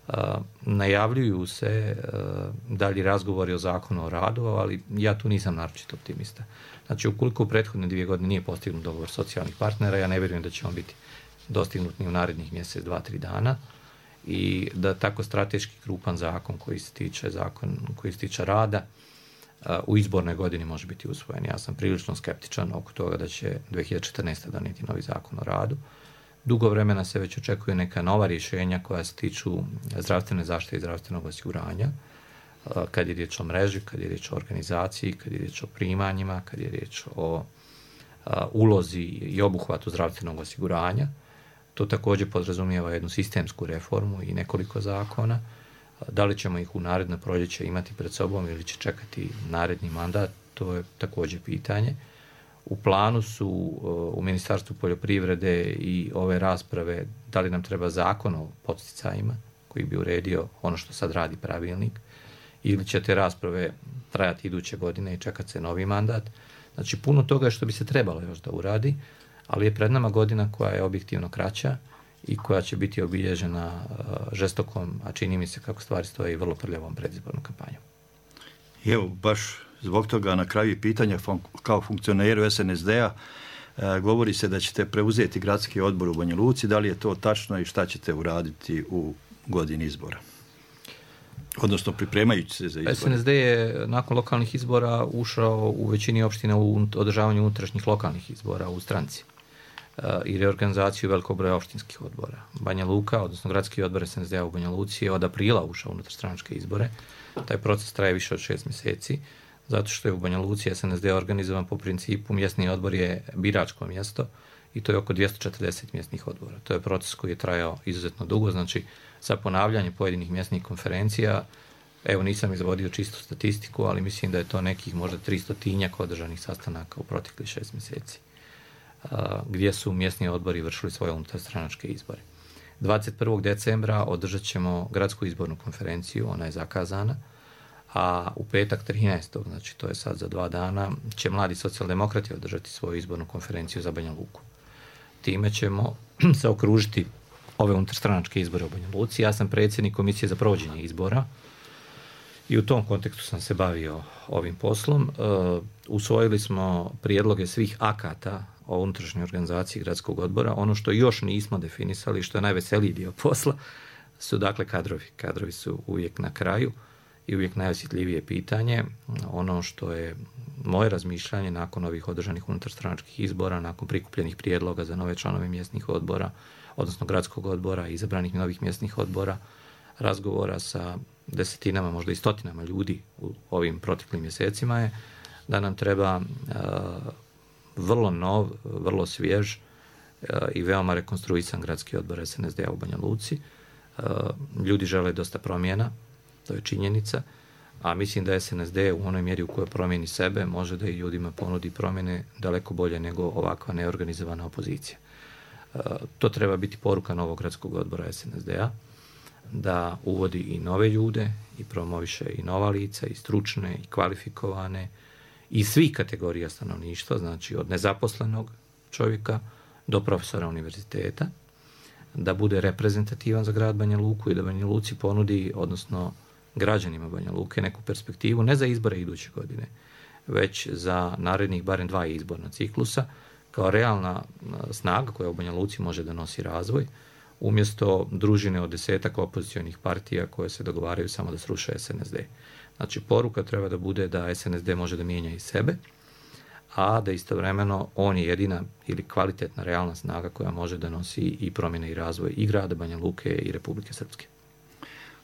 Uh, najavljuju se uh, dalji razgovori o zakonu o radu, ali ja tu nisam naročito optimista. Znači, ukoliko u prethodne dvije godine nije postignut dogovor socijalnih partnera, ja ne vjerujem da će on biti dostignut ni u narednih mjesec, dva, tri dana i da tako strateški krupan zakon koji se tiče, zakon koji se tiče rada u izbornoj godini može biti usvojen. Ja sam prilično skeptičan oko toga da će dvije hiljade četrnaeste. donijeti novi zakon o radu. Dugo vremena se već očekuju neka nova rješenja koja se tiču zdravstvene zaštite i zdravstvenog osiguranja, kad je riječ o mreži, kad je riječ o organizaciji, kad je riječ o primanjima, kad je riječ o ulozi i obuhvatu zdravstvenog osiguranja. To također podrazumijeva jednu sistemsku reformu i nekoliko zakona. Da li ćemo ih u naredno proljeće imati pred sobom ili će čekati naredni mandat, to je također pitanje. U planu su u Ministarstvu poljoprivrede i ove rasprave da li nam treba zakon o podsticajima koji bi uredio ono što sad radi pravilnik ili će te rasprave trajati iduće godine i čekati se novi mandat. Znači, puno toga što bi se trebalo još da uradi, ali je pred nama godina koja je objektivno kraća i koja će biti obilježena žestokom, a čini mi se kako stvari stoje i vrlo prljavom predizbornom kampanjom. I evo, baš zbog toga na kraju pitanja kao funkcioneru S N S D-a govori se da ćete preuzeti gradski odbor u Banja Luci. Da li je to tačno i šta ćete uraditi u godini izbora? Odnosno pripremajući se za izbore. S N S D je nakon lokalnih izbora ušao u većini opština u održavanju unutrašnjih lokalnih izbora u stranci i reorganizaciju velikog broja opštinskih odbora. Banja Luka, odnosno gradski odbor S N S D-a u Banja Luci je od aprila ušao unutar stranačke izbore. Taj proces traje više od šest mjeseci, zato što je u Banja Luci S N S D organizovan po principu mjesni odbor je biračko mjesto i to je oko dvjesto četrdeset mjesnih odbora. To je proces koji je trajao izuzetno dugo, znači sa ponavljanje pojedinih mjesnih konferencija, evo nisam izvodio čistu statistiku, ali mislim da je to nekih možda tristotinjak održanih sastanaka u proteklih šest mjeseci, gdje su mjesni odbori vršili svoje unutarstranačke izbore. dvadeset prvog decembra održat ćemo gradsku izbornu konferenciju, ona je zakazana, a u petak trinaestog znači to je sad za dva dana, će mladi socijaldemokrati održati svoju izbornu konferenciju za Banja Luku. Time ćemo se okružiti ove unutarstranačke izbore u Banja Luci. Ja sam predsjednik komisije za provođenje izbora i u tom kontekstu sam se bavio ovim poslom. Uh, usvojili smo prijedloge svih akata o unutrašnjoj organizaciji gradskog odbora. Ono što još nismo definisali, što je najveseliji dio posla, su dakle kadrovi. Kadrovi su uvijek na kraju i uvijek najosjetljivije pitanje. Ono što je moje razmišljanje nakon ovih održanih unutarstranačkih izbora, nakon prikupljenih prijedloga za nove članove mjesnih odbora, odnosno gradskog odbora i izabranih novih mjesnih odbora, razgovora sa desetinama, možda i stotinama ljudi u ovim proteklim mjesecima je da nam treba vrlo nov, vrlo svjež i veoma rekonstruisan gradski odbor es en es de a u Banja Luci. Ljudi žele dosta promjena, to je činjenica, a mislim da es en es de u onoj mjeri u kojoj promijeni sebe može da i ljudima ponudi promjene daleko bolje nego ovakva neorganizovana opozicija. To treba biti poruka novog gradskog odbora es en es de a, da uvodi i nove ljude i promoviše i nova lica, i stručne, i kvalifikovane, i svih kategorija stanovništva, znači od nezaposlenog čovjeka do profesora univerziteta, da bude reprezentativan za grad Banja Luku i da Banja Luci ponudi, odnosno građanima Banja Luke, neku perspektivu, ne za izbore iduće godine, već za narednih barem dva izborna ciklusa, kao realna snaga koja u Banja Luci može da nosi razvoj, umjesto družine od desetak opozicionih partija koje se dogovaraju samo da sruše es en es de. Znači, poruka treba da bude da es en es de može da mijenja i sebe, a da istovremeno on je jedina ili kvalitetna realna snaga koja može da nosi i promjene i razvoj i grada Banja Luke i Republike Srpske.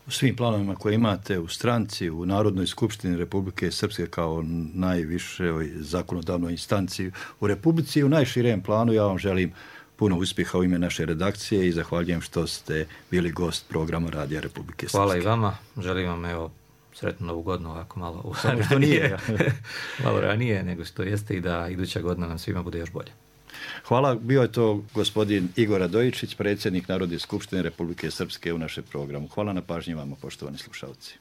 U svim planovima koje imate u stranci, u Narodnoj skupštini Republike Srpske kao najvišoj zakonodavnoj instanciji u Republici i u najširem planu, ja vam želim puno uspjeha u ime naše redakcije i zahvaljujem što ste bili gost programa Radija Republike Srpske. Hvala i vama. Želim vam evo sretnu novu godinu ovako malo u Samo što nije. malo ranije nego što jeste i da iduća godina nam svima bude još bolje. Hvala. Bio je to gospodin Igor Radojičić, predsjednik Narodne skupštine Republike Srpske u našem programu. Hvala na pažnji vama, poštovani slušalci.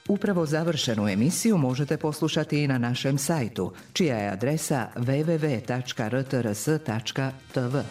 Upravo završenu emisiju možete poslušati i na našem sajtu, čija je adresa w w w tačka r t r s tačka t v.